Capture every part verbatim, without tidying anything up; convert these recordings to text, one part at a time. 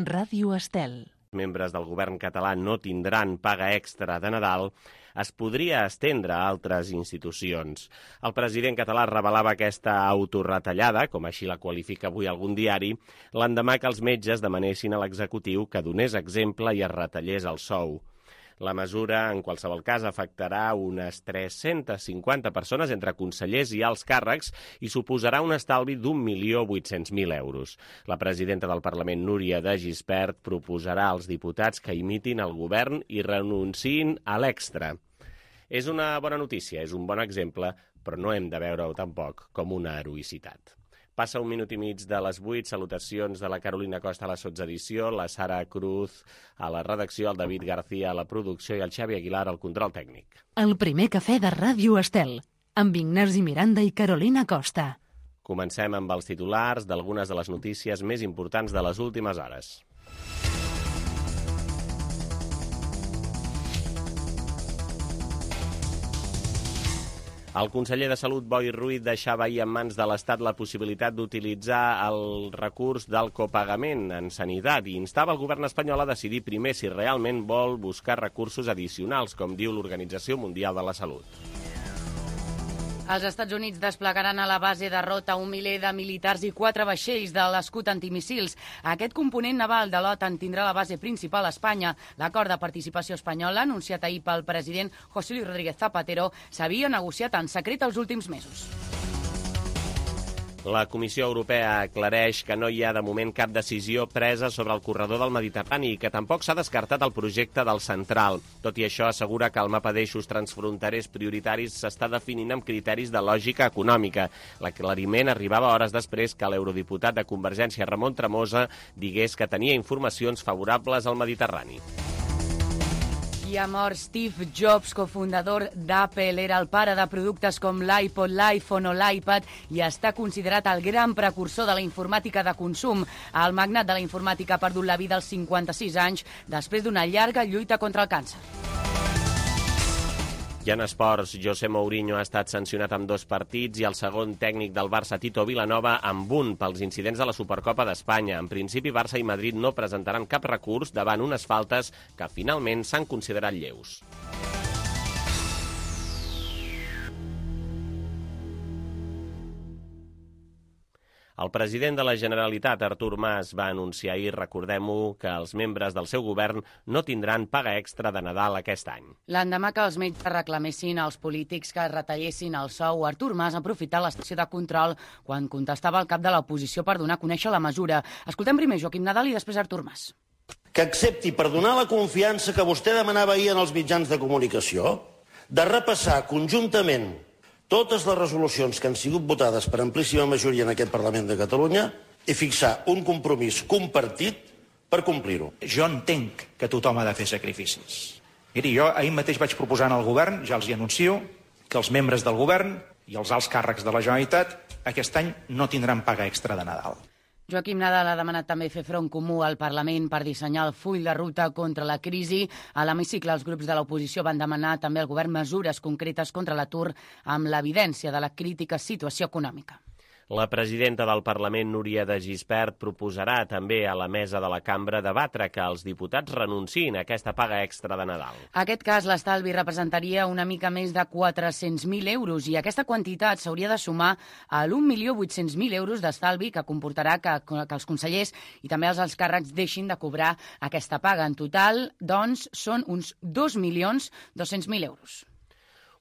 Ràdio Estel. Membres del govern català no tindran paga extra de Nadal, es podria estendre a altres institucions. El president català revelava aquesta autorretallada, com així la qualifica avui algun diari, l'endemà que els metges demanessin a l'executiu que donés exemple i es retallés el sou. La mesura, en qualsevol cas, afectarà unes tres-centes cinquanta persones entre consellers i alts càrrecs i suposarà un estalvi d'un milió vuit-cents mil euros. La presidenta del Parlament, Núria de Gispert, proposarà als diputats que imitin el govern i renunciïn a l'extra. És una bona notícia, és un bon exemple, però no hem de veure-ho tampoc com una heroïcitat. Passa un minut i mig de les vuit. Salutacions de la Carolina Costa a la sotsedició, la Sara Cruz a la redacció, el David García a la producció i el Xavi Aguilar al control tècnic. El primer cafè de Ràdio Estel, amb Ignasi Miranda i Carolina Costa. Comencem amb els titulars d'algunes de les notícies més importants de les últimes hores. El conseller de Salut, Boi Ruiz, deixava ahir en mans de l'Estat la possibilitat d'utilitzar el recurs del copagament en sanitat i instava el govern espanyol a decidir primer si realment vol buscar recursos addicionals, com diu l'Organització Mundial de la Salut. Els Estats Units desplegaran a la base de Rota un miler de militars i quatre vaixells de l'escut antimissils. Aquest component naval de l'OTAN tindrà la base principal a Espanya. L'acord de participació espanyola, anunciat ahir pel president José Luis Rodríguez Zapatero, s'havia negociat en secret els últims mesos. La Comissió Europea aclareix que no hi ha de moment cap decisió presa sobre el corredor del Mediterrani i que tampoc s'ha descartat el projecte del Central. Tot i això, assegura que el mapa d'eixos transfronterers prioritaris s'està definint amb criteris de lògica econòmica. L'aclariment arribava hores després que l'eurodiputat de Convergència, Ramon Tremosa, digués que tenia informacions favorables al Mediterrani. I ha mort Steve Jobs, cofundador d'Apple. Era el pare de productes com l'iPod, l'iPhone o l'iPad i està considerat el gran precursor de la informàtica de consum. El magnat de la informàtica ha perdut la vida als cinquanta-sis anys després d'una llarga lluita contra el càncer. I en esports, José Mourinho ha estat sancionat amb dos partits i el segon tècnic del Barça, Tito Vilanova, amb un pels incidents de la Supercopa d'Espanya. En principi, Barça i Madrid no presentaran cap recurs davant unes faltes que finalment s'han considerat lleus. El president de la Generalitat, Artur Mas, va anunciar ahir, recordem-ho, que els membres del seu govern no tindran paga extra de Nadal aquest any. L'endemà que els metges reclamessin als polítics que retallessin el sou, Artur Mas ha aprofitat l'estació de control quan contestava el cap de l'oposició per donar a conèixer la mesura. Escoltem primer Joaquim Nadal i després Artur Mas. Que accepti, per donar la confiança que vostè demanava ahir en els mitjans de comunicació, de repassar conjuntament totes les resolucions que han sigut votades per amplíssima majoria en aquest Parlament de Catalunya i fixar un compromís compartit per complir-ho. Jo entenc que tothom ha de fer sacrificis. Miri, jo ahir mateix vaig proposar al govern, ja els hi anuncio, que els membres del govern i els alts càrrecs de la Generalitat aquest any no tindran paga extra de Nadal. Joaquim Nadal ha demanat també fer front comú al Parlament per dissenyar el full de ruta contra la crisi. A l'hemicicle, els grups de l'oposició van demanar també al govern mesures concretes contra l'atur amb l'evidència de la crítica situació econòmica. La presidenta del Parlament, Núria de Gispert, proposarà també a la mesa de la cambra debatre que els diputats renunciïn a aquesta paga extra de Nadal. En aquest cas, l'estalvi representaria una mica més de quatre-cents mil euros i aquesta quantitat s'hauria de sumar a l'un milió vuit-cents mil euros d'estalvi que comportarà que, que els consellers i també els alts càrrecs deixin de cobrar aquesta paga. En total, doncs, són uns dos milions dos-cents mil euros.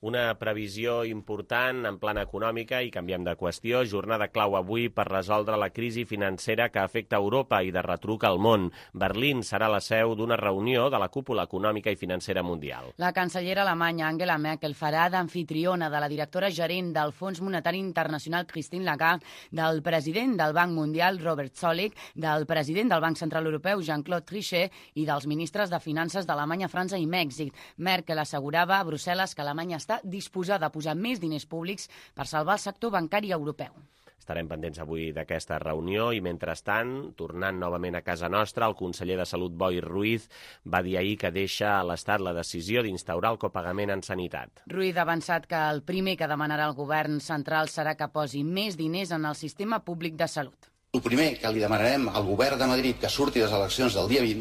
Una previsió important en plana econòmica i canviem de qüestió. Jornada clau avui per resoldre la crisi financera que afecta Europa i de retruc al món. Berlín serà la seu d'una reunió de la cúpula econòmica i financera mundial. La cancellera alemanya Angela Merkel farà d'amfitriona de la directora gerent del Fons Monetari Internacional Christine Lagarde, del president del Banc Mundial Robert Zoellick, del president del Banc Central Europeu Jean-Claude Trichet i dels ministres de Finances d'Alemanya, França i Mèxic. Merkel assegurava a Brussel·les que Alemanya està disposada a posar més diners públics per salvar el sector bancari europeu. Estarem pendents avui d'aquesta reunió i, mentrestant, tornant novament a casa nostra, el conseller de Salut, Boi Ruiz, va dir ahir que deixa a l'Estat la decisió d'instaurar el copagament en sanitat. Ruiz ha avançat que el primer que demanarà el govern central serà que posi més diners en el sistema públic de salut. El primer que li demanarem al govern de Madrid que surti de les eleccions del dia vint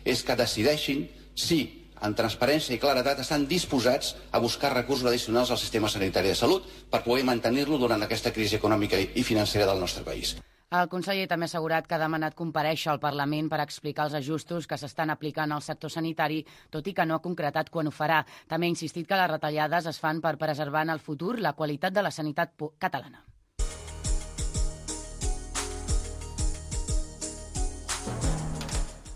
és que decideixin si, en transparència i claredat, estan disposats a buscar recursos addicionals al sistema sanitari de salut per poder mantenir-lo durant aquesta crisi econòmica i financera del nostre país. El conseller també ha assegurat que ha demanat comparèixer al Parlament per explicar els ajustos que s'estan aplicant al sector sanitari, tot i que no ha concretat quan ho farà. També ha insistit que les retallades es fan per preservar en el futur la qualitat de la sanitat catalana.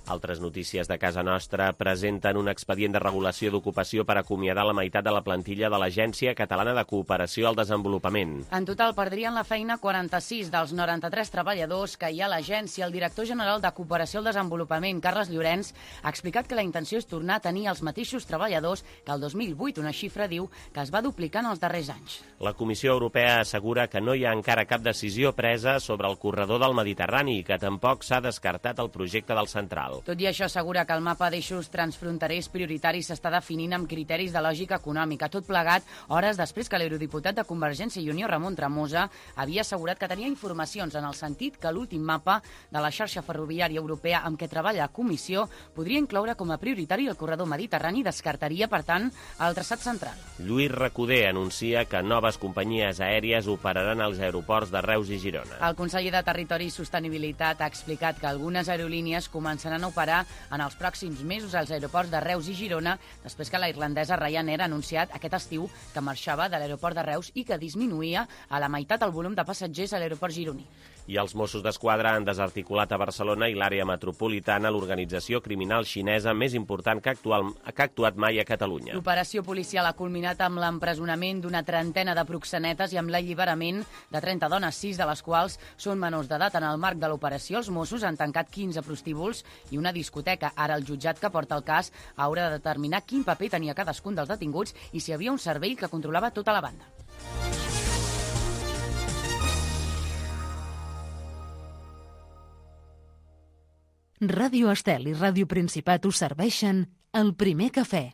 Altres notícies de casa nostra presenten un expedient de regulació d'ocupació per acomiadar la meitat de la plantilla de l'Agència Catalana de Cooperació al Desenvolupament. En total perdrien la feina quaranta-sis dels noranta-tres treballadors que hi ha a l'agència. El director general de Cooperació al Desenvolupament, Carles Llorenç, ha explicat que la intenció és tornar a tenir els mateixos treballadors que el dos mil vuit, una xifra, diu, que es va duplicar en els darrers anys. La Comissió Europea assegura que no hi ha encara cap decisió presa sobre el corredor del Mediterrani i que tampoc s'ha descartat el projecte del Central. Tot i això, assegura que el mapa d'eixos transfronterers prioritaris s'està definint amb criteris de lògica econòmica. Tot plegat, hores després que l'eurodiputat de Convergència i Unió, Ramon Tremosa, havia assegurat que tenia informacions en el sentit que l'últim mapa de la xarxa ferroviària europea amb què treballa la Comissió podria incloure com a prioritari el corredor mediterrani i descartaria, per tant, el traçat central. Lluís Recoder anuncia que noves companyies aèries operaran als aeroports de Reus i Girona. El conseller de Territori i Sostenibilitat ha explicat que algunes aerolínies començaran a operar en els pròxims mesos als aeroports de Reus i Girona, després que la irlandesa Ryanair ha anunciat aquest estiu que marxava de l'aeroport de Reus i que disminuïa a la meitat el volum de passatgers a l'aeroport gironí. I els Mossos d'Esquadra han desarticulat a Barcelona i l'àrea metropolitana l'organització criminal xinesa més important que, actual, que ha actuat mai a Catalunya. L'operació policial ha culminat amb l'empresonament d'una trentena de proxenetes i amb l'alliberament de trenta dones, sis de les quals són menors d'edat. En el marc de l'operació, els Mossos han tancat quinze prostíbuls i una discoteca. Ara el jutjat que porta el cas haurà de determinar quin paper tenia cadascun dels detinguts i si hi havia un servei que controlava tota la banda. Ràdio Estel i Ràdio Principat us serveixen el primer cafè.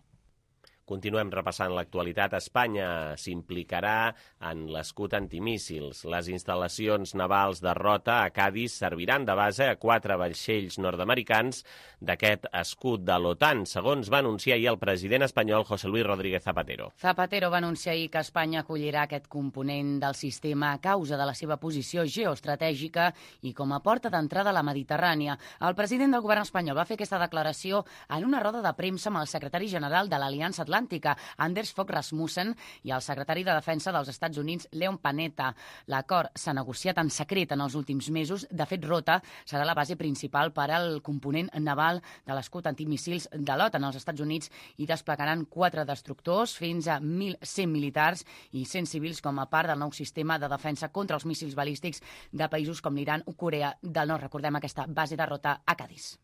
Continuem repassant l'actualitat. Espanya s'implicarà en l'escut antimíssils. Les instal·lacions navals de Rota a Cadis serviran de base a quatre vaixells nord-americans d'aquest escut de l'OTAN, segons va anunciar ahir el president espanyol José Luis Rodríguez Zapatero. Zapatero va anunciar ahir que Espanya acollirà aquest component del sistema a causa de la seva posició geoestratègica i com a porta d'entrada a la Mediterrània. El president del govern espanyol va fer aquesta declaració en una roda de premsa amb el secretari general de l'Aliança Atlàntica, Anders Fogh Rasmussen, i el secretari de Defensa dels Estats Units, Leon Panetta. L'acord s'ha negociat en secret en els últims mesos. De fet, Rota serà la base principal per al component naval de l'escut antimíssils de l'OTAN als Estats Units i desplegaran quatre destructors, fins a mil cent militars i cent civils com a part del nou sistema de defensa contra els míssils balístics de països com l'Iran o Corea del Nord. Recordem aquesta base de Rota a Cadis.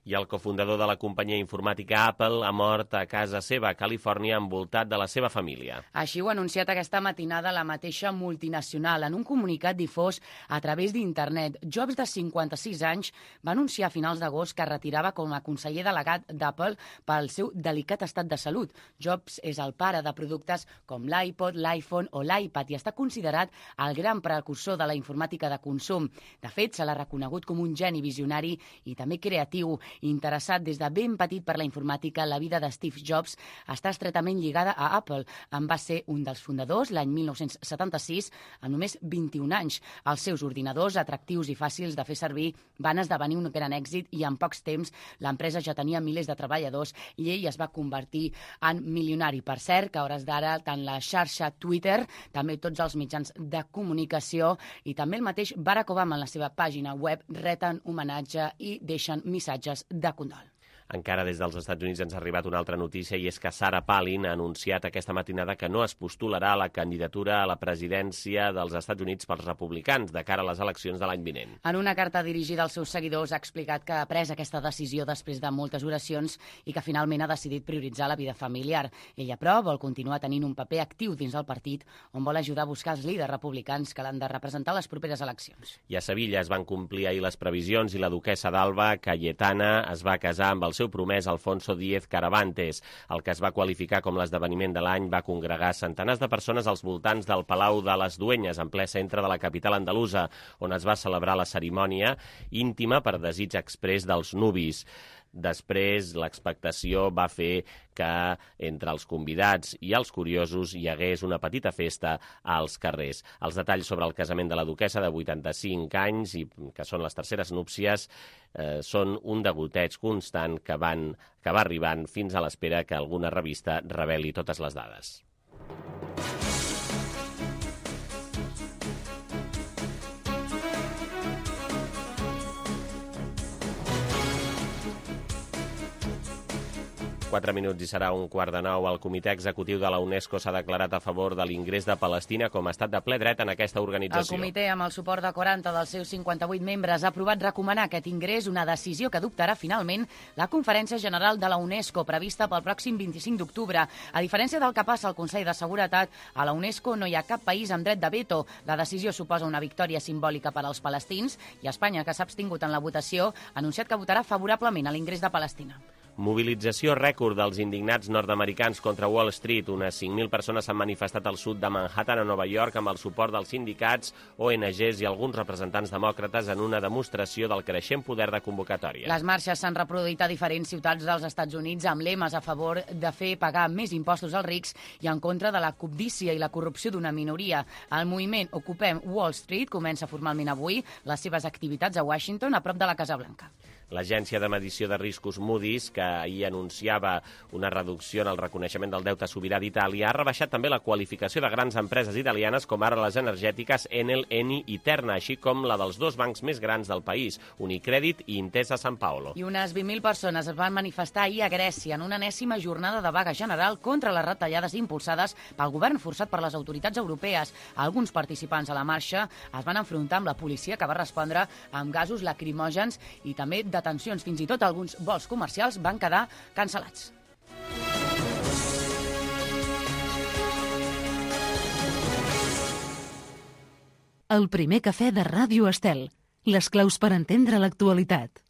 I el cofundador de la companyia informàtica Apple ha mort a casa seva, a Califòrnia, envoltat de la seva família. Així ho ha anunciat aquesta matinada la mateixa multinacional. En un comunicat difós a través d'internet, Jobs, de cinquanta-sis anys, va anunciar a finals d'agost que retirava com a conseller delegat d'Apple pel seu delicat estat de salut. Jobs és el pare de productes com l'iPod, l'iPhone o l'iPad i està considerat el gran precursor de la informàtica de consum. De fet, se l'ha reconegut com un geni visionari i també creatiu. Interessat des de ben petit per la informàtica, la vida de Steve Jobs està estretament lligada a Apple. En va ser un dels fundadors l'any mil nou-cents setanta-sis, amb només vint-i-un anys. Els seus ordinadors, atractius i fàcils de fer servir, van esdevenir un gran èxit i en pocs temps l'empresa ja tenia milers de treballadors i ell es va convertir en milionari. Per cert, que a hores d'ara tant la xarxa Twitter, també tots els mitjans de comunicació i també el mateix Barack Obama en la seva pàgina web reten homenatge i deixen missatges de condol. Encara des dels Estats Units ens ha arribat una altra notícia i és que Sarah Palin ha anunciat aquesta matinada que no es postularà a la candidatura a la presidència dels Estats Units pels republicans de cara a les eleccions de l'any vinent. En una carta dirigida als seus seguidors ha explicat que ha pres aquesta decisió després de moltes oracions i que finalment ha decidit prioritzar la vida familiar. Ella, però, vol continuar tenint un paper actiu dins del partit on vol ajudar a buscar els líders republicans que l'han de representar a les properes eleccions. I a Sevilla es van complir ahir les previsions i la duquessa d'Alba, Cayetana, es va casar amb el el seu promès Alfonso Díez Caravantes. El que es va qualificar com l'esdeveniment de l'any va congregar centenars de persones als voltants del Palau de les Duenyes, en ple centre de la capital andalusa, on es va celebrar la cerimònia íntima per desig exprés dels nuvis. Després, l'expectació va fer que entre els convidats i els curiosos hi hagués una petita festa als carrers. Els detalls sobre el casament de la duquessa de vuitanta-cinc anys, i que són les terceres núpcies, eh, són un degoteig constant que, van, que va arribant fins a l'espera que alguna revista reveli totes les dades. quatre minuts i serà un quart de nou. El comitè executiu de la UNESCO s'ha declarat a favor de l'ingrés de Palestina com a estat de ple dret en aquesta organització. El comitè, amb el suport de quaranta dels seus cinquanta-vuit membres, ha aprovat recomanar aquest ingrés, una decisió que adoptarà finalment la Conferència General de la UNESCO, prevista pel pròxim vint-i-cinc d'octubre. A diferència del que passa al Consell de Seguretat, a la UNESCO no hi ha cap país amb dret de veto. La decisió suposa una victòria simbòlica per als palestins i Espanya, que s'ha abstingut en la votació, ha anunciat que votarà favorablement a l'ingrés de Palestina. Mobilització rècord dels indignats nord-americans contra Wall Street. Unes cinc mil persones s'han manifestat al sud de Manhattan, a Nova York, amb el suport dels sindicats, O N Ges i alguns representants demòcrates en una demostració del creixent poder de convocatòria. Les marxes s'han reproduït a diferents ciutats dels Estats Units amb lemes a favor de fer pagar més impostos als rics i en contra de la cobdícia i la corrupció d'una minoria. El moviment Ocupem Wall Street comença formalment avui les seves activitats a Washington, a prop de la Casa Blanca. L'agència de medició de riscos Moody's, que ahir anunciava una reducció en el reconeixement del deute sobirà d'Itàlia, ha rebaixat també la qualificació de grans empreses italianes com ara les energètiques Enel, Eni i Terna, així com la dels dos bancs més grans del país, Unicredit i Intesa Sanpaolo. I unes vint mil persones es van manifestar ahir a Grècia en una enèsima jornada de vaga general contra les retallades impulsades pel govern forçat per les autoritats europees. Alguns participants a la marxa es van enfrontar amb la policia, que va respondre amb gasos lacrimògens i també detencions. Fins i tot alguns vols comercials van quedar cancel·lats. El primer cafè de Ràdio Estel. Les claus per entendre l'actualitat.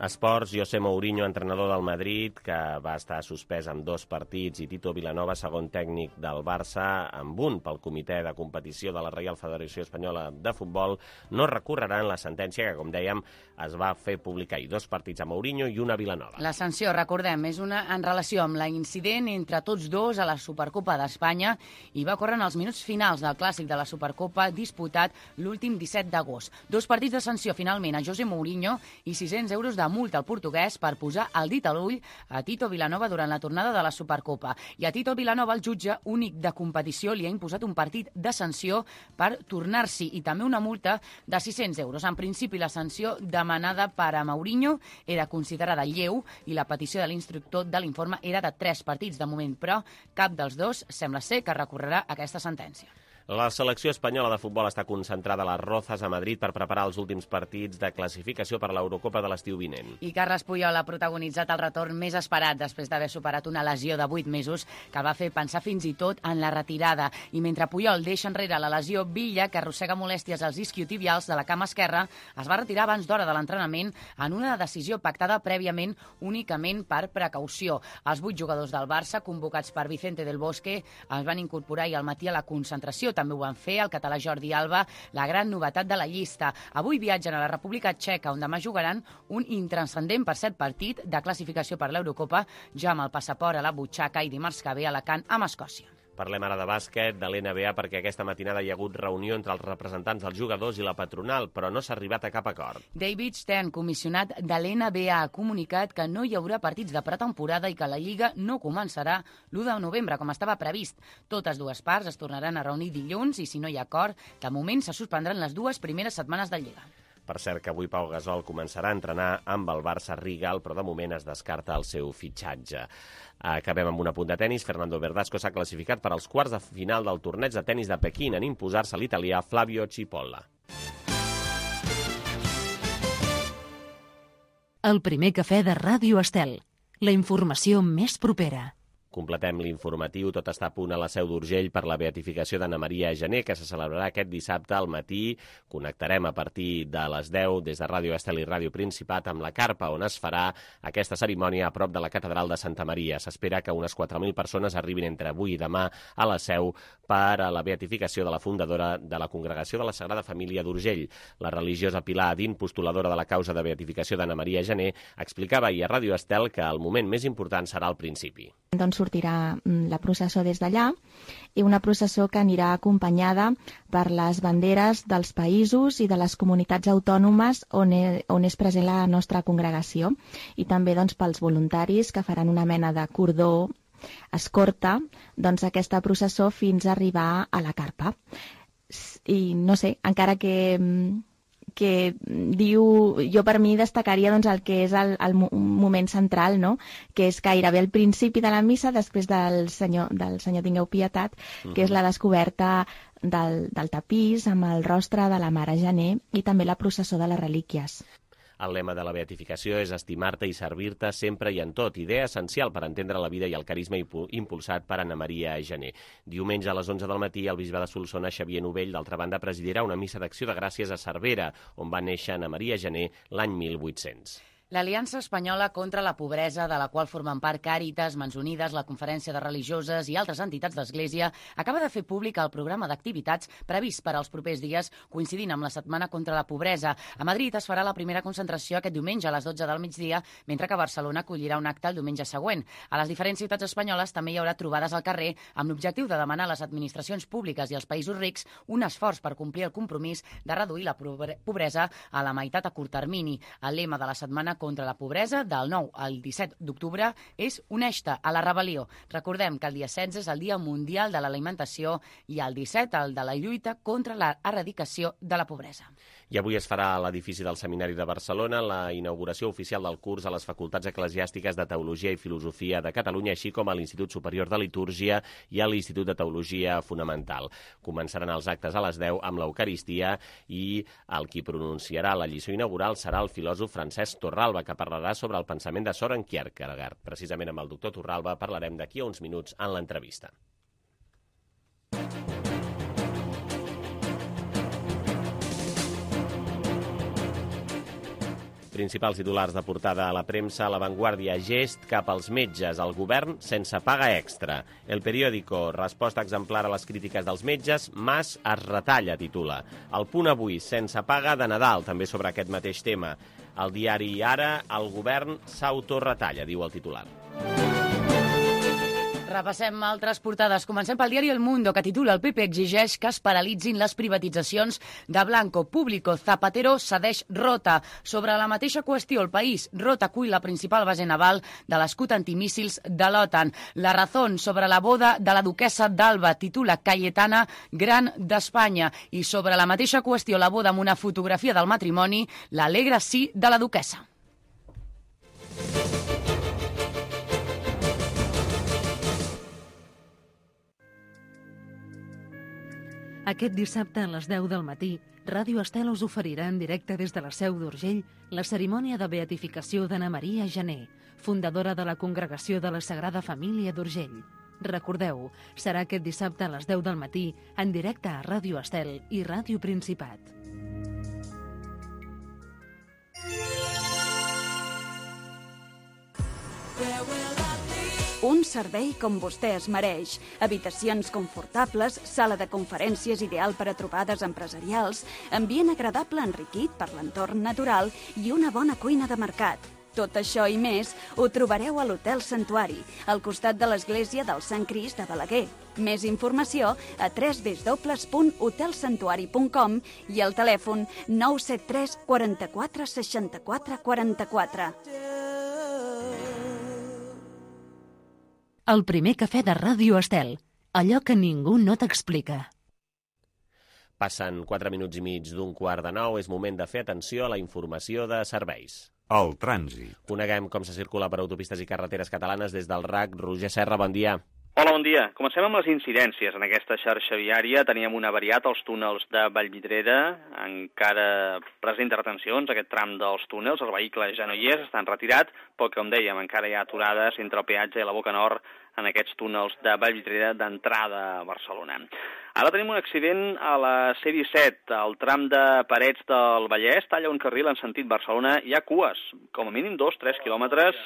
Esports, José Mourinho, entrenador del Madrid, que va estar suspès amb dos partits, i Tito Vilanova, segon tècnic del Barça, amb un pel comitè de competició de la Reial Federació Espanyola de Futbol, no recorreran la sentència que, com dèiem, es va fer publicar ahir. Dos partits a Mourinho i una a Vilanova. La sanció, recordem, és una en relació amb l'incident entre tots dos a la Supercopa d'Espanya i va córrer en els minuts finals del clàssic de la Supercopa disputat l'últim disset d'agost. Dos partits de sanció, finalment, a José Mourinho i sis-cents euros de multa al portuguès per posar el dit a l'ull a Tito Vilanova durant la tornada de la Supercopa. I a Tito Vilanova, el jutge únic de competició, li ha imposat un partit de sanció per tornar-s'hi i també una multa de sis-cents euros. En principi, la sanció demanada per a Mourinho era considerada lleu i la petició de l'instructor de l'informe era de tres partits de moment, però cap dels dos sembla ser que recorrerà aquesta sentència. La selecció espanyola de futbol està concentrada a les Rozas, a Madrid, per preparar els últims partits de classificació per a l'Eurocopa de l'estiu vinent. I Carles Puyol ha protagonitzat el retorn més esperat després d'haver superat una lesió de vuit mesos que va fer pensar fins i tot en la retirada. I mentre Puyol deixa enrere la lesió, Villa, que arrossega molèsties als isquiotibials de la cama esquerra, es va retirar abans d'hora de l'entrenament en una decisió pactada prèviament únicament per precaució. Els vuit jugadors del Barça, convocats per Vicente del Bosque, es van incorporar ahir al matí a la concentració. També ho van fer el català Jordi Alba, la gran novetat de la llista. Avui viatgen a la República Txeca, on demà jugaran un intranscendent per set partit de classificació per l'Eurocopa, ja amb el passaport a la butxaca, i dimarts que ve a Alacant, amb Escòcia. Parlem ara de bàsquet, de l'N B A, perquè aquesta matinada hi ha hagut reunió entre els representants dels jugadors i la patronal, però no s'ha arribat a cap acord. David Stern, comissionat de l'N B A, ha comunicat que no hi haurà partits de pretemporada i que la Lliga no començarà l'u de novembre, com estava previst. Totes dues parts es tornaran a reunir dilluns i, si no hi ha acord, de moment se suspendran les dues primeres setmanes de Lliga. Per cert, que avui Pau Gasol començarà a entrenar amb el Barça Rigal, però de moment es descarta el seu fitxatge. Acabem amb un apunt de tenis. Fernando Verdasco s'ha classificat per als quarts de final del torneig de tenis de Pequín en imposar-se l'italià Flavio Cipolla. El primer cafè de Ràdio Estel. La informació més propera. Completem l'informatiu. Tot està a punt a la Seu d'Urgell per la beatificació d'Anna Maria Gené, que se celebrarà aquest dissabte al matí. Connectarem a partir de les deu des de Ràdio Estel i Ràdio Principat amb la carpa on es farà aquesta cerimònia a prop de la Catedral de Santa Maria. S'espera que unes quatre mil persones arribin entre avui i demà a la Seu per a la beatificació de la fundadora de la Congregació de la Sagrada Família d'Urgell. La religiosa Pilar Adín, postuladora de la causa de beatificació d'Anna Maria Gené, explicava ahir a Ràdio Estel que el moment més important serà al principi. Doncs sortirà la processó des d'allà, i una processó que anirà acompanyada per les banderes dels països i de les comunitats autònomes on, e, on és present la nostra congregació, i també doncs, pels voluntaris que faran una mena de cordó escorta doncs, aquesta processó fins a arribar a la carpa. I no sé, encara que... que diu, jo per mi destacaria doncs, el que és el, el moment central, no? Que és gairebé al principi de la missa, després del Senyor, del Senyor Tingueu Pietat, que és la descoberta del, del tapís amb el rostre de la Mare Gené i també la processó de les relíquies. El lema de la beatificació és estimar-te i servir-te sempre i en tot, idea essencial per entendre la vida i el carisma impulsat per Anna Maria Gené. Diumenge a les onze del matí, el bisbe de Solsona, Xavier Novell, d'altra banda, presidirà una missa d'acció de gràcies a Cervera, on va néixer Anna Maria Gené l'any mil vuit-cents. L'Aliança Espanyola contra la Pobresa, de la qual formen part Càritas, Mans Unides, la Conferència de Religioses i altres entitats d'Església, acaba de fer públic el programa d'activitats previst per als propers dies, coincidint amb la Setmana contra la Pobresa. A Madrid es farà la primera concentració aquest diumenge a les dotze del migdia, mentre que Barcelona acollirà un acte el diumenge següent. A les diferents ciutats espanyoles també hi haurà trobades al carrer amb l'objectiu de demanar a les administracions públiques i als països rics un esforç per complir el compromís de reduir la pobresa a la meitat a curt termini. El lema de la Setmana contra la Pobresa, del nou al disset d'octubre, és Uneix-te a la rebel·lió. Recordem que el dia setze és el Dia Mundial de l'Alimentació i el disset el de la lluita contra l'erradicació de la pobresa. I avui es farà a l'edifici del Seminari de Barcelona la inauguració oficial del curs a les Facultats Eclesiàstiques de Teologia i Filosofia de Catalunya, així com a l'Institut Superior de Litúrgia i a l'Institut de Teologia Fonamental. Començaran els actes a les deu amb l'Eucaristia i el qui pronunciarà la lliçó inaugural serà el filòsof Francesc Torralba, que parlarà sobre el pensament de Søren Kierkegaard. Precisament amb el doctor Torralba parlarem d'aquí a uns minuts en l'entrevista. Principals titulars de portada a la premsa, a La Vanguardia, gest cap als metges, el govern sense paga extra. El periòdico, resposta exemplar a les crítiques dels metges, Mas es retalla, titula. El Punt avui, sense paga de Nadal, també sobre aquest mateix tema. El diari Ara, el govern s'autoretalla, diu el titular. Repassem altres portades. Comencem pel diari El Mundo, que titula El P P exigeix que es paralitzin les privatitzacions de Blanco. Público, Zapatero cedeix Rota. Sobre la mateixa qüestió, El País, Rota acull la principal base naval de l'escut antimíssils de l'OTAN. La Razón, sobre la boda de la duquessa d'Alba, titula Cayetana, gran d'Espanya. I sobre la mateixa qüestió, la boda amb una fotografia del matrimoni, l'alegre sí de la duquessa. Aquest dissabte a les deu del matí, Ràdio Estel us oferirà en directe des de la Seu d'Urgell la cerimònia de beatificació d'Anna Maria Gené, fundadora de la Congregació de la Sagrada Família d'Urgell. Recordeu, serà aquest dissabte a les deu del matí, en directe a Ràdio Estel i Ràdio Principat. Un servei com vostè es mereix. Habitacions confortables, sala de conferències ideal per a trobades empresarials, ambient agradable enriquit per l'entorn natural i una bona cuina de mercat. Tot això i més ho trobareu a l'Hotel Santuari, al costat de l'església del Sant Crist de Balaguer. Més informació a w w w punt hotel santuari punt com i al telèfon nou set tres quaranta-quatre seixanta-quatre quaranta-quatre. El primer cafè de Ràdio Estel, allò que ningú no t'explica. Passen quatre minuts i mig d'un quart de nou, és moment de fer atenció a la informació de serveis. El trànsit. Coneguem com se circula per autopistes i carreteres catalanes des del R A C. Roger Serra, bon dia. Hola, bon dia. Comencem amb les incidències. En aquesta xarxa viària teníem una variat als túnels de Vallvidrera, encara presenta retencions, aquest tram dels túnels, el vehicle ja no hi és, estan retirat, però com dèiem, encara hi ha aturades entre el peatge i la Boca Nord en aquests túnels de Vallvidrera d'entrada a Barcelona. Ara tenim un accident a la C disset, al tram de Parets del Vallès, talla un carril en sentit Barcelona, hi ha cues, com a mínim dos tres quilòmetres,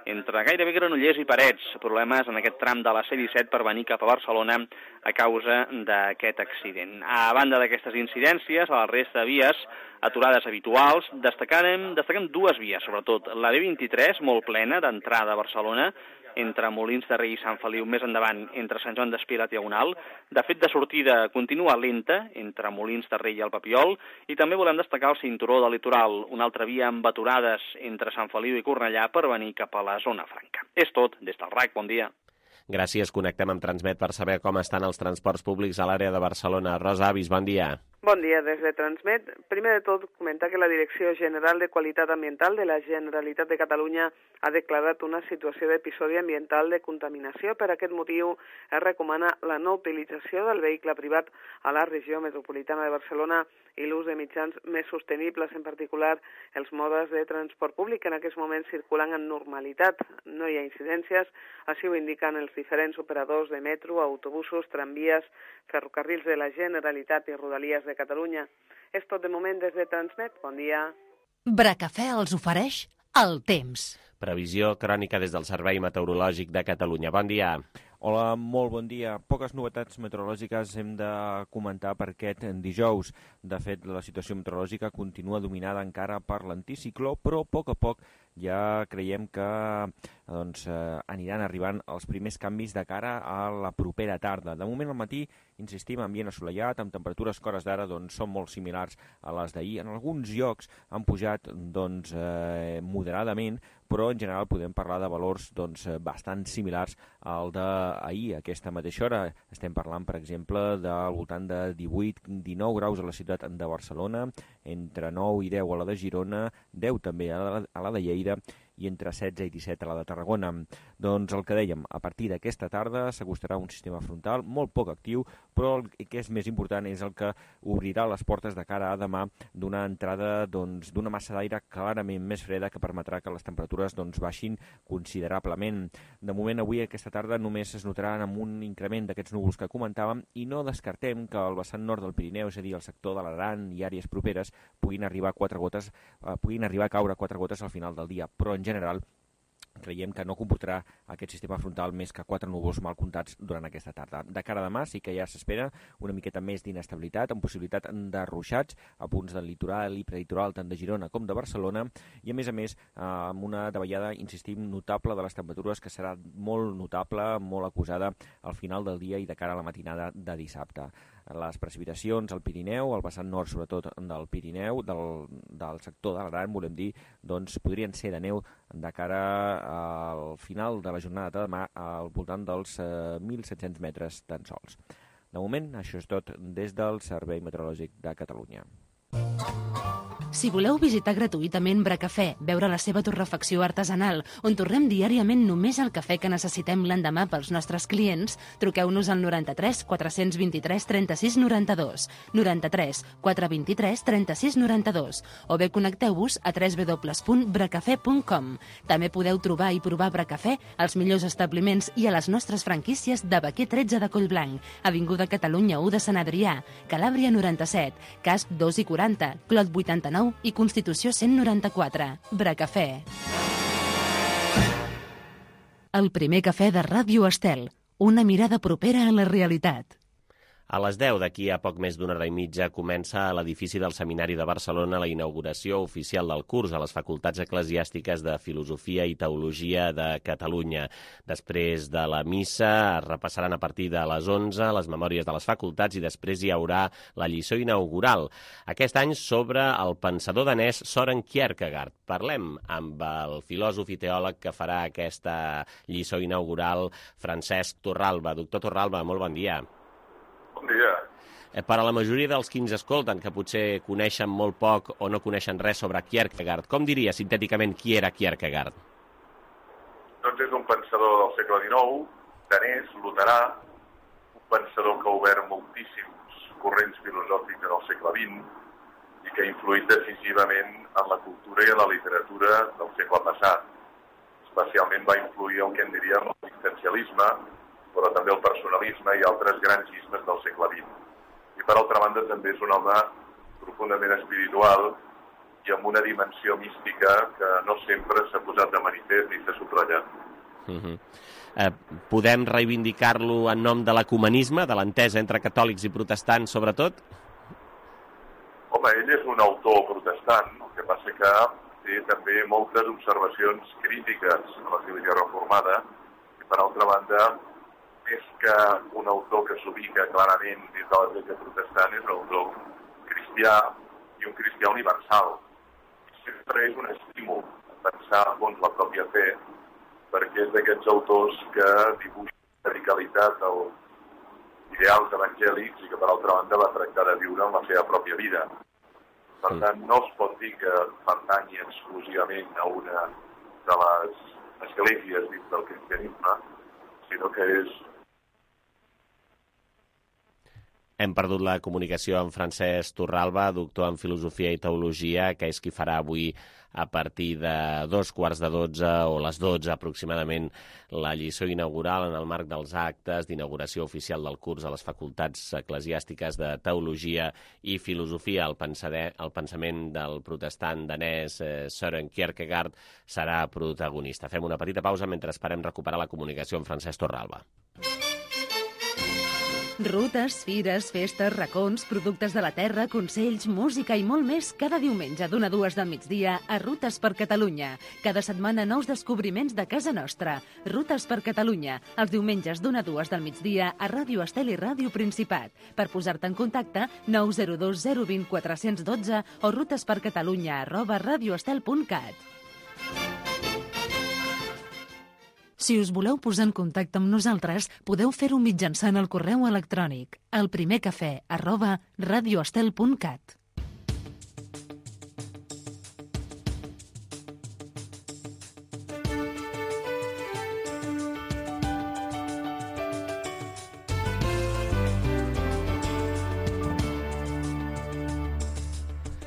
entre gairebé Granollers i Parets, problemes en aquest tram de la C disset per venir cap a Barcelona a causa d'aquest accident. A banda d'aquestes incidències, a la resta de vies, aturades habituals, destacarem, destaquem dues vies, sobretot la B vint-i-tres, molt plena, d'entrada a Barcelona, entre Molins de Rei i Sant Feliu, més endavant, entre Sant Joan d'Espí i la Diagonal. De fet, de sortida continua lenta, entre Molins de Rei i el Papiol, i també volem destacar el cinturó del litoral, una altra via amb aturades entre Sant Feliu i Cornellà per venir cap a la zona franca. És tot, des del R A C, bon dia. Gràcies, connectem amb Transmet per saber com estan els transports públics a l'àrea de Barcelona. Rosa Avis, bon dia. Bon dia, des de Transmet. Primer de tot, comentar que la Direcció General de Qualitat Ambiental de la Generalitat de Catalunya ha declarat una situació d'episodi ambiental de contaminació. Per aquest motiu, es recomana la no utilització del vehicle privat a la regió metropolitana de Barcelona i l'ús de mitjans més sostenibles, en particular els modes de transport públic que en aquests moments circulen en normalitat. No hi ha incidències, així ho indiquen els diferents operadors de metro, autobusos, tramvies, ferrocarrils de la Generalitat i Rodalies de Catalunya. És tot de moment des de Transmet. Bon dia. Bracafè els ofereix el temps. Previsió crònica des del Servei Meteorològic de Catalunya. Bon dia. Hola, molt bon dia. Poques novetats meteorològiques hem de comentar per aquest dijous. De fet, la situació meteorològica continua dominada encara per l'anticicló, però a poc a poc ja creiem que doncs, eh, aniran arribant els primers canvis de cara a la propera tarda. De moment al matí, insistim, ambient assolellat, amb temperatures que hores d'ara doncs, són molt similars a les d'ahir. En alguns llocs han pujat doncs, eh, moderadament, però en general podem parlar de valors doncs, bastant similars al d'ahir. A aquesta mateixa hora estem parlant, per exemple, del voltant de divuit dinou graus a la ciutat de Barcelona, entre nou i deu a la de Girona, deu també a la, a la de Lleida i entre setze i disset a la de Tarragona. Doncs el que dèiem, a partir d'aquesta tarda s'acostarà un sistema frontal molt poc actiu, però el que és més important és el que obrirà les portes de cara a demà d'una entrada doncs, d'una massa d'aire clarament més freda que permetrà que les temperatures doncs, baixin considerablement. De moment, avui, aquesta tarda, només es notaran amb un increment d'aquests núvols que comentàvem i no descartem que al vessant nord del Pirineu, és a dir, el sector de l'Aran i àrees properes, puguin arribar quatre gotes, eh, puguin arribar a caure quatre gotes al final del dia, però en general creiem que no comportarà aquest sistema frontal més que quatre núvols mal comptats durant aquesta tarda. De cara a demà sí que ja s'espera una miqueta més d'inestabilitat, amb possibilitat de ruixats a punts del litoral i prelitoral tant de Girona com de Barcelona i a més a més amb una davallada, insistim, notable de les temperatures que serà molt notable, molt acusada al final del dia i de cara a la matinada de dissabte. Les precipitacions al Pirineu, al vessant nord sobretot del Pirineu, del, del sector de l'Aran, volem dir, doncs podrien ser de neu de cara al final de la jornada de demà al voltant dels eh, mil set-cents metres tan sols. De moment, això és tot des del Servei Meteorològic de Catalunya. Si voleu visitar gratuïtament Bracafè, veure la seva torrefacció artesanal, on torrem diàriament només el cafè que necessitem l'endemà pels nostres clients, truqueu-nos al noranta-tres quatre vint-i-tres trenta-sis noranta-dos, noranta-tres quatre vint-i-tres trenta-sis noranta-dos, o bé connecteu-vos a w w w punt bracafè punt com. També podeu trobar i provar Bracafè als millors establiments i a les nostres franquícies de Baquer tretze de Collblanc, Avinguda Catalunya u de Sant Adrià, Calàbria noranta-set, Casp dos i quaranta, Clot vuitanta-nou i Constitució cent noranta-quatre. Bracafè. El primer cafè de Ràdio Estel. Una mirada propera a la realitat. A les deu d'aquí a poc més d'una hora i mitja comença a l'edifici del Seminari de Barcelona la inauguració oficial del curs a les Facultats Eclesiàstiques de Filosofia i Teologia de Catalunya. Després de la missa es repassaran a partir de les onze les memòries de les facultats i després hi haurà la lliçó inaugural. Aquest any sobre el pensador danès Søren Kierkegaard. Parlem amb el filòsof i teòleg que farà aquesta lliçó inaugural, Francesc Torralba. Doctor Torralba, molt bon dia. Bon dia. Per a la majoria dels que ens escolten, que potser coneixen molt poc o no coneixen res sobre Kierkegaard, com diria sintèticament qui era Kierkegaard? Doncs és un pensador del segle dinou, danès, luterà, un pensador que ha obert moltíssims corrents filosòfics en el segle vint i que ha influït decisivament en la cultura i en la literatura del segle passat. Especialment va influir el que en diríem l'existencialisme, però també el personalisme i altres grans ismes del segle vint. I per altra banda també és un home profundament espiritual i amb una dimensió mística que no sempre s'ha posat de manifest ni s'ha subratllat. Uh-huh. Eh, podem reivindicar-lo en nom de l'ecumenisme, de l'entesa entre catòlics i protestants, sobretot? Home, ell és un autor protestant, el que passa que té també moltes observacions crítiques a l'Església Reformada i, per altra banda, més que un autor que s'ubica clarament dins de l'Església protestant, és un autor cristià i un cristià universal. Sempre és un estímul a pensar a fons la pròpia fe, perquè és d'aquests autors que dibuixen radicalitat als ideals evangèlics i que, per altra banda, va tractar de viure en la seva pròpia vida. Per tant, no es pot dir que pertanyi exclusivament a una de les esglésies dins del cristianisme, sinó que és... Hem perdut la comunicació amb Francesc Torralba, doctor en Filosofia i Teologia, que és qui farà avui a partir de dos quarts de dotze o les dotze aproximadament la lliçó inaugural en el marc dels actes d'inauguració oficial del curs a les facultats eclesiàstiques de Teologia i Filosofia. El, pensader, el pensament del protestant danès eh, Søren Kierkegaard serà protagonista. Fem una petita pausa mentre esperem recuperar la comunicació amb Francesc Torralba. Rutes, fires, festes, racons, productes de la terra, consells, música i molt més cada diumenge d'una a dues del migdia a Rutes per Catalunya. Cada setmana nous descobriments de casa nostra. Rutes per Catalunya, els diumenges d'una a dues del migdia a Ràdio Estel i Ràdio Principat. Per posar-te en contacte, nou zero dos zero dos zero quatre un dos o rutespercatalunya arroba radioestel punt cat. Si us voleu posar en contacte amb nosaltres, podeu fer-ho mitjançant el correu electrònic elprimercafè arroba radioestel punt cat.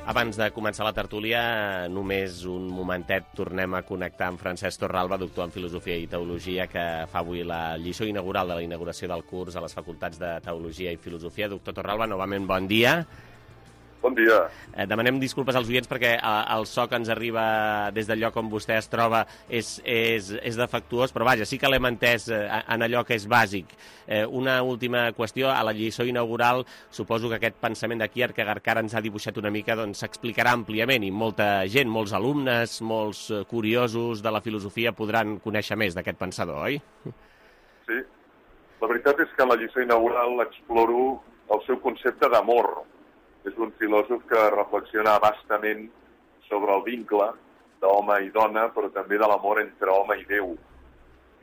Abans de començar la tertúlia, només un momentet, tornem a connectar amb Francesc Torralba, doctor en Filosofia i Teologia, que fa avui la lliçó inaugural de la inauguració del curs a les facultats de Teologia i Filosofia. Doctor Torralba, novament bon dia. Bon dia. Eh, demanem disculpes als oients perquè eh, el so que ens arriba des del lloc on vostè es troba és, és, és defectuós, però vaja, sí que l'hem entès eh, en allò que és bàsic. Eh, una última qüestió, a la lliçó inaugural suposo que aquest pensament de Kierkegaard que ara ens ha dibuixat una mica doncs s'explicarà àmpliament i molta gent, molts alumnes, molts curiosos de la filosofia podran conèixer més d'aquest pensador, oi? Sí, la veritat és que en la lliçó inaugural exploro el seu concepte d'amor. És un filòsof que reflexiona bastament sobre el vincle d'home i dona, però també de l'amor entre home i Déu.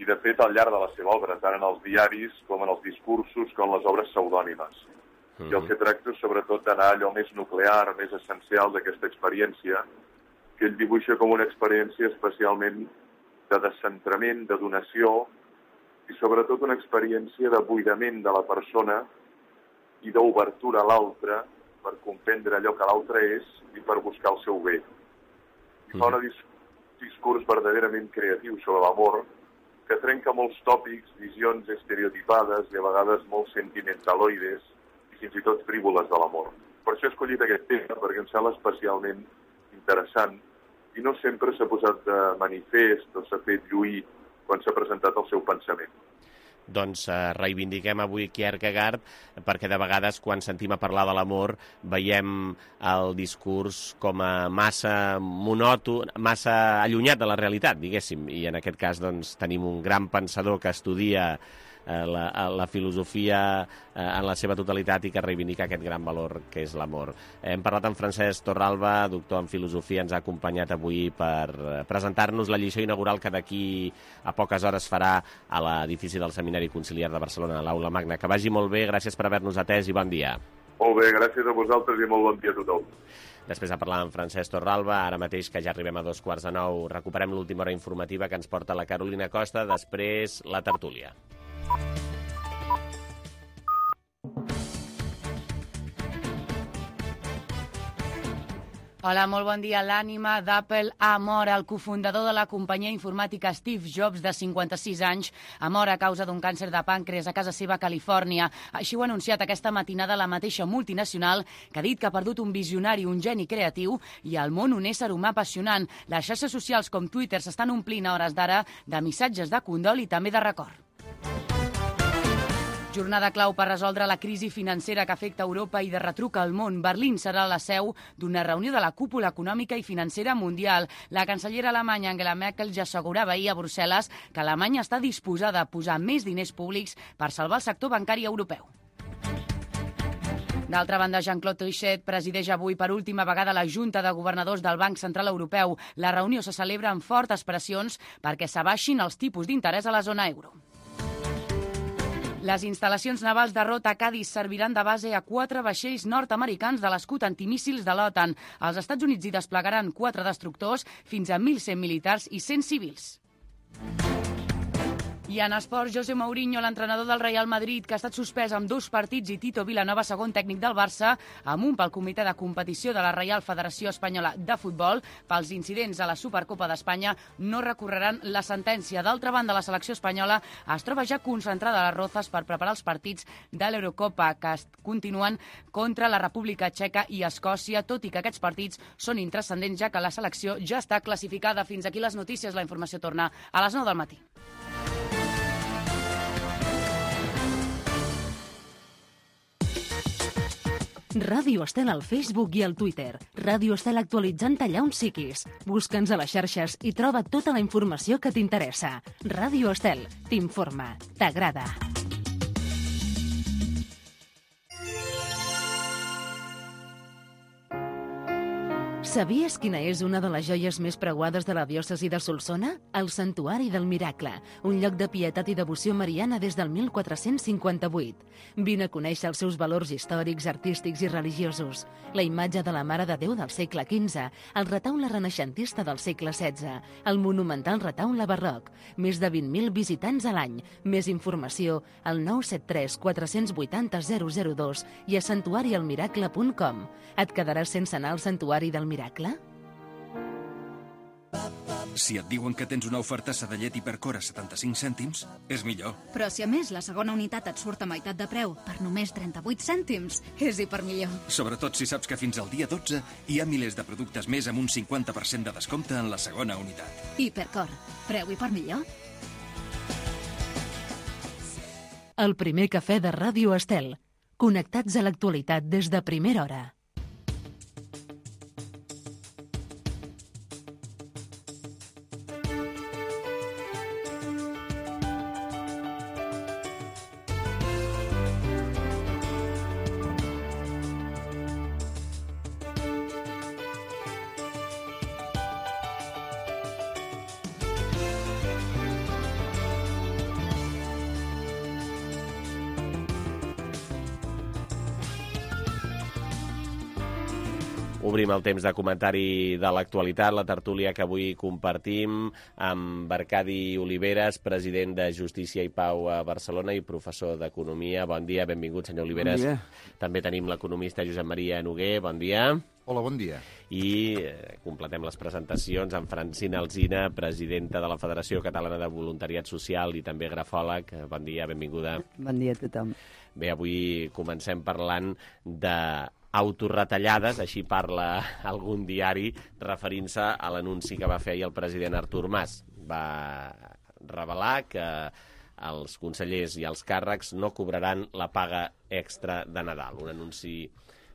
I, de fet, al llarg de la seva obra, tant en els diaris com en els discursos, com en les obres pseudònimes. Mm-hmm. I el que tracto és, sobretot, d'anar allò més nuclear, més essencial d'aquesta experiència, que ell dibuixa com una experiència especialment de descentrament, de donació, i, sobretot, una experiència de buidament de la persona i d'obertura a l'altre, per comprendre allò que l'altre és i per buscar el seu bé. I fa un dis discurs verdaderament creatiu sobre l'amor que trenca molts tòpics, visions estereotipades i a vegades molt sentimentaloides i fins i tot frívoles de l'amor. Per això he escollit aquest tema, perquè em sembla especialment interessant i no sempre s'ha posat de manifest o s'ha fet lluir quan s'ha presentat el seu pensament. Doncs eh, reivindiquem avui Kierkegaard perquè de vegades quan sentim a parlar de l'amor veiem el discurs com a massa monòton, massa allunyat de la realitat, diguéssim, i en aquest cas doncs, tenim un gran pensador que estudia eh, la, la filosofia eh, en la seva totalitat i que reivindica aquest gran valor que és l'amor. Hem parlat amb Francesc Torralba, doctor en filosofia, ens ha acompanyat avui per presentar-nos la lliçó inaugural que d'aquí a poques hores farà a l'edifici del Seminari Conciliar de Barcelona, a l'Aula Magna. Que vagi molt bé, gràcies per haver-nos atès i bon dia. Molt bé, gràcies a vosaltres i molt bon dia a tothom. Després de parlar amb Francesc Torralba, ara mateix que ja arribem a dos quarts de nou, recuperem l'última hora informativa que ens porta la Carolina Costa, després la tertúlia. Hola, molt bon dia. L'ànima d'Apple ha mort. El cofundador de la companyia informàtica Steve Jobs, de cinquanta-sis anys, ha mort a causa d'un càncer de pàncreas a casa seva a Califòrnia. Així ho ha anunciat aquesta matinada la mateixa multinacional, que ha dit que ha perdut un visionari, un geni creatiu i al món un ésser humà apassionant. Les xarxes socials com Twitter s'estan omplint a hores d'ara de missatges de condol i també de record. Jornada clau per resoldre la crisi financera que afecta Europa i de retruc al món. Berlín serà la seu d'una reunió de la cúpula econòmica i financera mundial. La cancellera alemanya Angela Merkel ja assegurava ahir a Brussel·les que Alemanya està disposada a posar més diners públics per salvar el sector bancari europeu. D'altra banda, Jean-Claude Trichet presideix avui per última vegada la Junta de Governadors del Banc Central Europeu. La reunió se celebra amb fortes pressions perquè s'abaixin els tipus d'interès a la zona euro. Les instal·lacions navals de Rota a Cádiz serviran de base a quatre vaixells nord-americans de l'escut antimíssils de l'OTAN. Els Estats Units hi desplegaran quatre destructors, fins a mil cent militars i cent civils. I en esports, José Mourinho, l'entrenador del Real Madrid, que ha estat suspès amb dos partits, i Tito Vilanova, segon tècnic del Barça, amunt pel comitè de competició de la Reial Federació Espanyola de Futbol pels incidents a la Supercopa d'Espanya, no recorreran la sentència. D'altra banda, la selecció espanyola es troba ja concentrada a les Rozas per preparar els partits de l'Eurocopa, que continuen contra la República Txeca i Escòcia, tot i que aquests partits són intranscendents, ja que la selecció ja està classificada. Fins aquí les notícies. La informació torna a les nou del matí. Ràdio Estel al Facebook i al Twitter. Ràdio Estel actualitzant allà on siguis. Busca'ns a les xarxes i troba tota la informació que t'interessa. Ràdio Estel t'informa, t'agrada. Sabies quina és una de les joies més preuades de la diòcesi de Solsona? El Santuari del Miracle, un lloc de pietat i devoció mariana des del mil quatre-cents cinquanta-vuit. Vine a conèixer els seus valors històrics, artístics i religiosos. La imatge de la Mare de Déu del segle quinze, el retaule renaixentista del segle setze, el monumental retaule barroc, més de vint mil visitants a l'any. Més informació al nou set tres quatre vuit zero zero zero dos i a santuari el miracle punt com. Et quedaràs sense anar al Santuari del Miracle? Si et diuen que tens una oferta Sedellet Hipercor a setanta-cinc cèntims, és millor. Però si a més la segona unitat et surt a meitat de preu per només trenta-vuit cèntims, és hipermillor. Sobretot si saps que fins al dia dotze hi ha milers de productes més amb un cinquanta per cent de descompte en la segona unitat. Hipercor. Preu hipermillor. El primer cafè de Ràdio Estel. Connectats a l'actualitat des de primera hora. Obrim el temps de comentari de l'actualitat, la tertúlia que avui compartim amb Arcadi Oliveres, president de Justícia i Pau a Barcelona i professor d'Economia. Bon dia, benvingut, senyor Oliveres. Bon dia. També tenim l'economista Josep Maria Noguer. Bon dia. Hola, bon dia. I eh, completem les presentacions amb Francina Alsina, presidenta de la Federació Catalana de Voluntariat Social i també grafòleg. Bon dia, benvinguda. Bon dia a tothom. Bé, avui comencem parlant de autorretallades, així parla algun diari, referint-se a l'anunci que va fer ahir el president Artur Mas. Va revelar que els consellers i els càrrecs no cobraran la paga extra de Nadal. Un anunci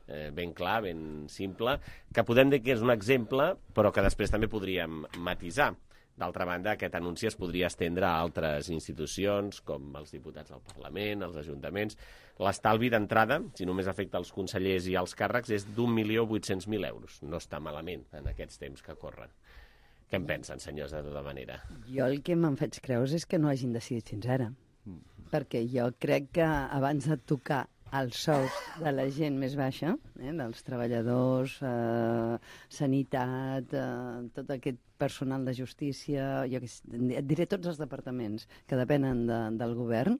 eh, ben clar, ben simple, que podem dir que és un exemple, però que després també podríem matisar. D'altra banda, aquest anunci es podria estendre a altres institucions, com els diputats del Parlament, els ajuntaments. L'estalvi d'entrada, si només afecta els consellers i els càrrecs, és d'un milió vuit-cents mil euros. No està malament en aquests temps que corren. Què en pensen, senyors, de tota manera? Jo el que me'n faig creus és que no hagin decidit fins ara. Mm. Perquè jo crec que abans de tocar els sous de la gent més baixa, eh, dels treballadors, eh, sanitat, eh, tot aquest personal de justícia, jo que, et diré tots els departaments que depenen de, del govern,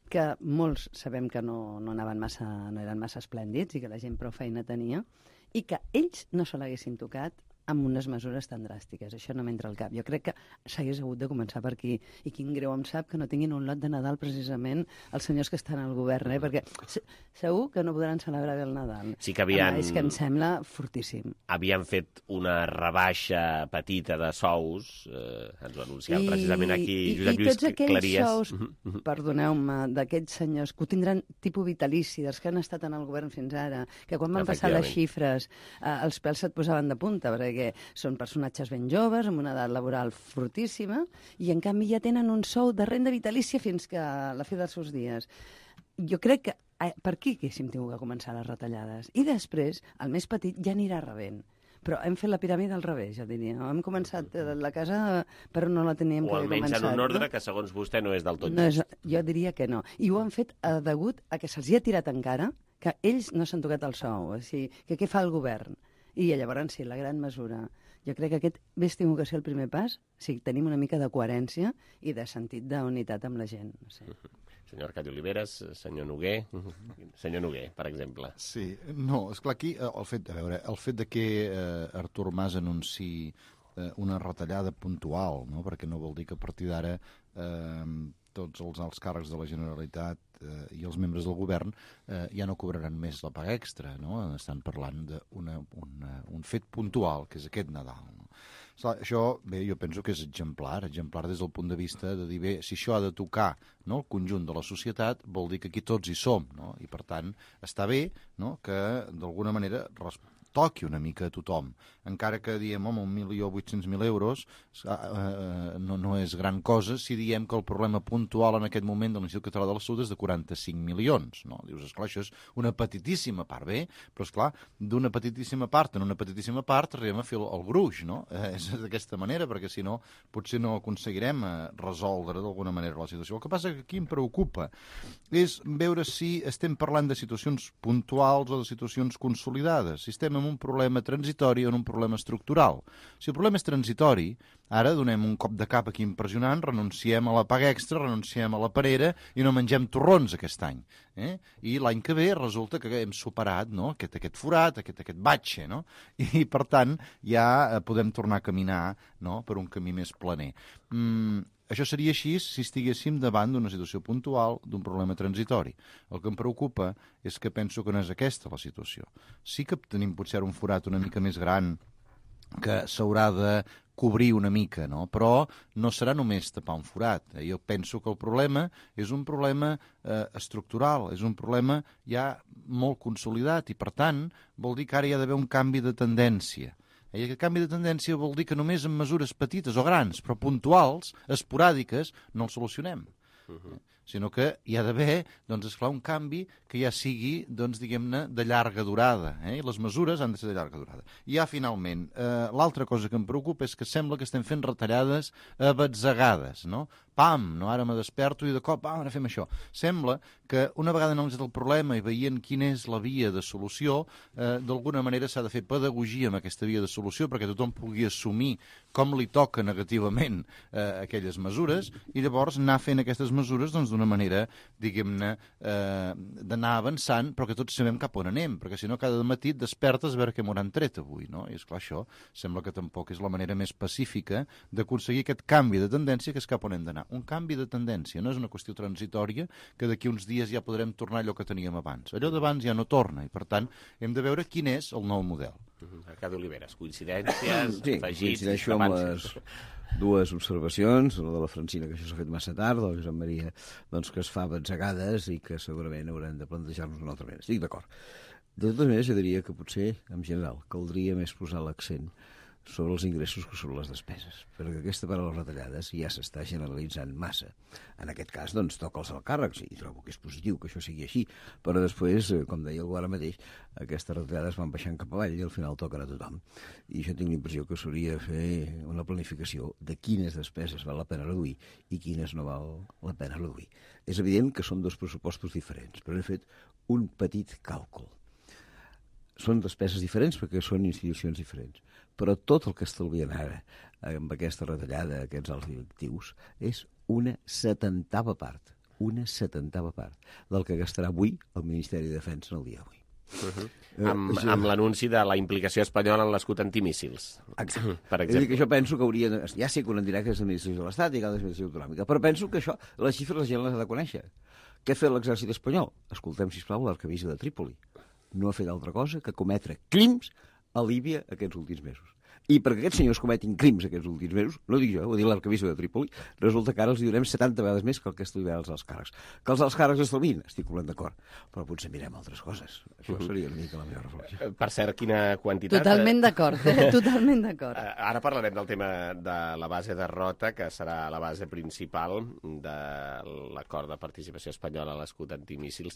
que molts sabem que no, no, anaven massa, no eren massa esplèndids i que la gent prou feina tenia, i que ells no se l'haguessin tocat amb unes mesures tan dràstiques. Això no m'entra al cap. Jo crec que s'hagués hagut de començar per aquí. I quin greu em sap que no tinguin un lot de Nadal precisament els senyors que estan al govern, eh? Perquè segur que no podran celebrar bé el Nadal. Sí que havien... És que em sembla fortíssim. Havien fet una rebaixa petita de sous, eh, ens ho anunciava precisament aquí I, Josep i Lluís tots aquells Claries. sous, perdoneu-me, d'aquests senyors que ho tindran tipus vitalici, dels que han estat en el govern fins ara, que quan van passar les xifres eh, els pèls se't posaven de punta, perquè són personatges ben joves, amb una edat laboral fortíssima, i en canvi ja tenen un sou de renda vitalícia fins que a la fi dels seus dies. Jo crec que eh, per aquí haguéssim tingut que començar les retallades. I després, el més petit ja anirà rebent. Però hem fet la piràmide al revés, ja diria. Hem començat la casa, però no la teníem o que haver començat. O almenys en un ordre no? que, segons vostè, no és del tot no just. És, jo diria que no. I ho han fet a degut a que se'ls hi ha tirat encara, que ells no s'han tocat el sou. O sigui, que què fa el govern? I llavors, sí, la gran mesura. Jo crec que aquest hauria tingut que ser el primer pas si tenim una mica de coherència i de sentit d'unitat amb la gent. No sé. Senyor Arcadi Oliveres, senyor Noguer, senyor Noguer, per exemple. Sí, no, esclar, aquí el fet, a veure, el fet de que eh, Artur Mas anunciï eh, una retallada puntual, no? Perquè no vol dir que a partir d'ara eh, tots els alts càrrecs de la Generalitat eh, i els membres del govern eh, ja no cobraran més la paga extra, no? Estan parlant d'un fet puntual, que és aquest Nadal. No? Clar, això, bé, jo penso que és exemplar, exemplar des del punt de vista de dir, bé, si això ha de tocar, no, el conjunt de la societat, vol dir que aquí tots hi som, no? I per tant està bé, no, que d'alguna manera toqui una mica a tothom. Encara que diem, home, un milió vuit-cents mil euros eh, no, no és gran cosa si diem que el problema puntual en aquest moment de l'Institut Català de la Salut és de quaranta-cinc milions. No? Dius, esclar, això és una petitíssima part, bé, però esclar, d'una petitíssima part en una petitíssima part arribem a fer el, el gruix, no? Eh, és d'aquesta manera, perquè si no potser no aconseguirem eh, resoldre d'alguna manera la situació. El que passa que aquí em preocupa és veure si estem parlant de situacions puntuals o de situacions consolidades, si estem en un problema transitori o en un problema estructural. Si el problema és transitori, ara donem un cop de cap aquí impressionant, renunciem a la paga extra, renunciem a la parera i no mengem torrons aquest any. Eh? I l'any que ve resulta que hem superat, no? aquest, aquest forat, aquest, aquest batxe, no? I per tant ja podem tornar a caminar, no? Per un camí més planer. Mm, Això seria així si estiguéssim davant d'una situació puntual, d'un problema transitori. El que em preocupa és que penso que no és aquesta la situació. Sí que tenim potser un forat una mica més gran que s'haurà de cobrir una mica, no? Però no serà només tapar un forat. Eh? Jo penso que el problema és un problema eh, estructural, és un problema ja molt consolidat i, per tant, vol dir que ara hi ha d'haver un canvi de tendència. I aquest canvi de tendència vol dir que només amb mesures petites o grans, però puntuals, esporàdiques, no el solucionem. Uh-huh. Sinó que hi ha d'haver, doncs, esclar, un canvi que ja sigui, doncs, diguem-ne, de llarga durada. Eh? I les mesures han de ser de llarga durada. I ja, finalment, eh, l'altra cosa que em preocupa és que sembla que estem fent retallades abatzegades, no? Pam, no? Ara me desperto i de cop, ah, ara fem això. Sembla que una vegada analitzat el problema i veient quina és la via de solució, eh, d'alguna manera s'ha de fer pedagogia amb aquesta via de solució perquè tothom pugui assumir com li toca negativament eh, aquelles mesures i llavors anar fent aquestes mesures doncs, d'una manera, diguem-ne, eh, d'anar avançant, però que tots sabem cap on anem, perquè si no cada matí et despertes a veure què m'hauran tret avui, no? I esclar, això sembla que tampoc és la manera més pacífica d'aconseguir aquest canvi de tendència que és cap on hem d'anar. Un canvi de tendència, no és una qüestió transitòria que d'aquí uns dies ja podrem tornar a allò que teníem abans. Allò d'abans ja no torna i, per tant, hem de veure quin és el nou model. Arcadi Oliveres, coincidències, sí, afegits... coincideixo amb les dues observacions, la de la Francina, que això s'ha fet massa tard, la de Josep Maria, doncs, que es fa batzegades i que segurament haurem de plantejar-nos d'una altra manera. Estic d'acord. De totes maneres, jo diria que potser, en general, caldria més posar l'accent sobre els ingressos que sobre les despeses, perquè aquesta part de les retallades ja s'està generalitzant massa. En aquest cas, doncs, toca els alts càrrecs, i trobo que és positiu que això sigui així, però després, com deia algú ara mateix, aquestes retallades van baixant cap avall i al final toquen a tothom. I jo tinc la impressió que s'hauria de fer una planificació de quines despeses val la pena reduir i quines no val la pena reduir. És evident que són dos pressupostos diferents, però he fet un petit càlcul. Són despeses diferents perquè són institucions diferents, però tot el que estalvien ara amb aquesta retallada, aquests alts directius, és una setantava part, una setantava part del que gastarà avui el Ministeri de Defensa en el dia d'avui. Uh -huh. eh, amb això... amb l'anunci de la implicació espanyola en l'escut antimíssils. Exacte. Per exemple. És a dir, que jo penso que hauria... De... Ja sé que un en dirà que és l'administració de l'Estat i que l'administració autonòmica, però penso que això, les xifres la gent les ha de conèixer. Què ha fet l'exèrcit espanyol? Escoltem, sisplau, l'arquebisbe de Trípoli. No ha fet altra cosa que cometre crims a Líbia aquests últims mesos. I perquè aquests senyors cometin crims aquests últims mesos, no ho dic jo, ho dic l'arquebisbe de Trípoli, resulta que ara els hi donem setanta vegades més que el que estalviarà els alts càrrecs. Que els alts càrrecs estalvin, estic completament d'acord, però potser mirem altres coses. Això seria una mica la meva reflexió. Per cert, quina quantitat... Totalment d'acord, eh? Totalment d'acord. Ara parlarem del tema de la base de Rota, que serà la base principal de l'acord de participació espanyola a l'escut antimíssils.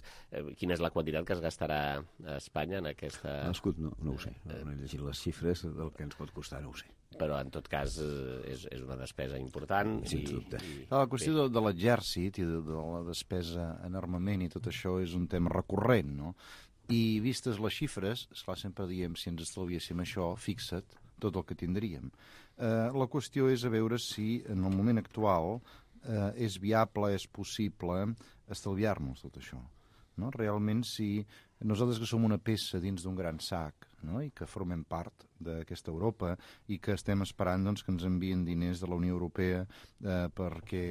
Quina és la quantitat que es gastarà a Espanya en aquesta... L'escut no, no ho sé, no, no he llegit les xifres del que ens pot costar, no ho sé. Però, en tot cas, és, és una despesa important. Sens dubte. I, la qüestió de, de l'exèrcit i de, de la despesa en armament i tot això és un tema recurrent, no? I vistes les xifres, esclar, sempre diem, si ens estalviéssim això, fixa't tot el que tindríem. Eh, la qüestió és a veure si, en el moment actual, eh, és viable, és possible estalviar-nos tot això. No? Realment, si nosaltres que som una peça dins d'un gran sac, no? I que formem part d'aquesta Europa i que estem esperant doncs, que ens envien diners de la Unió Europea eh, perquè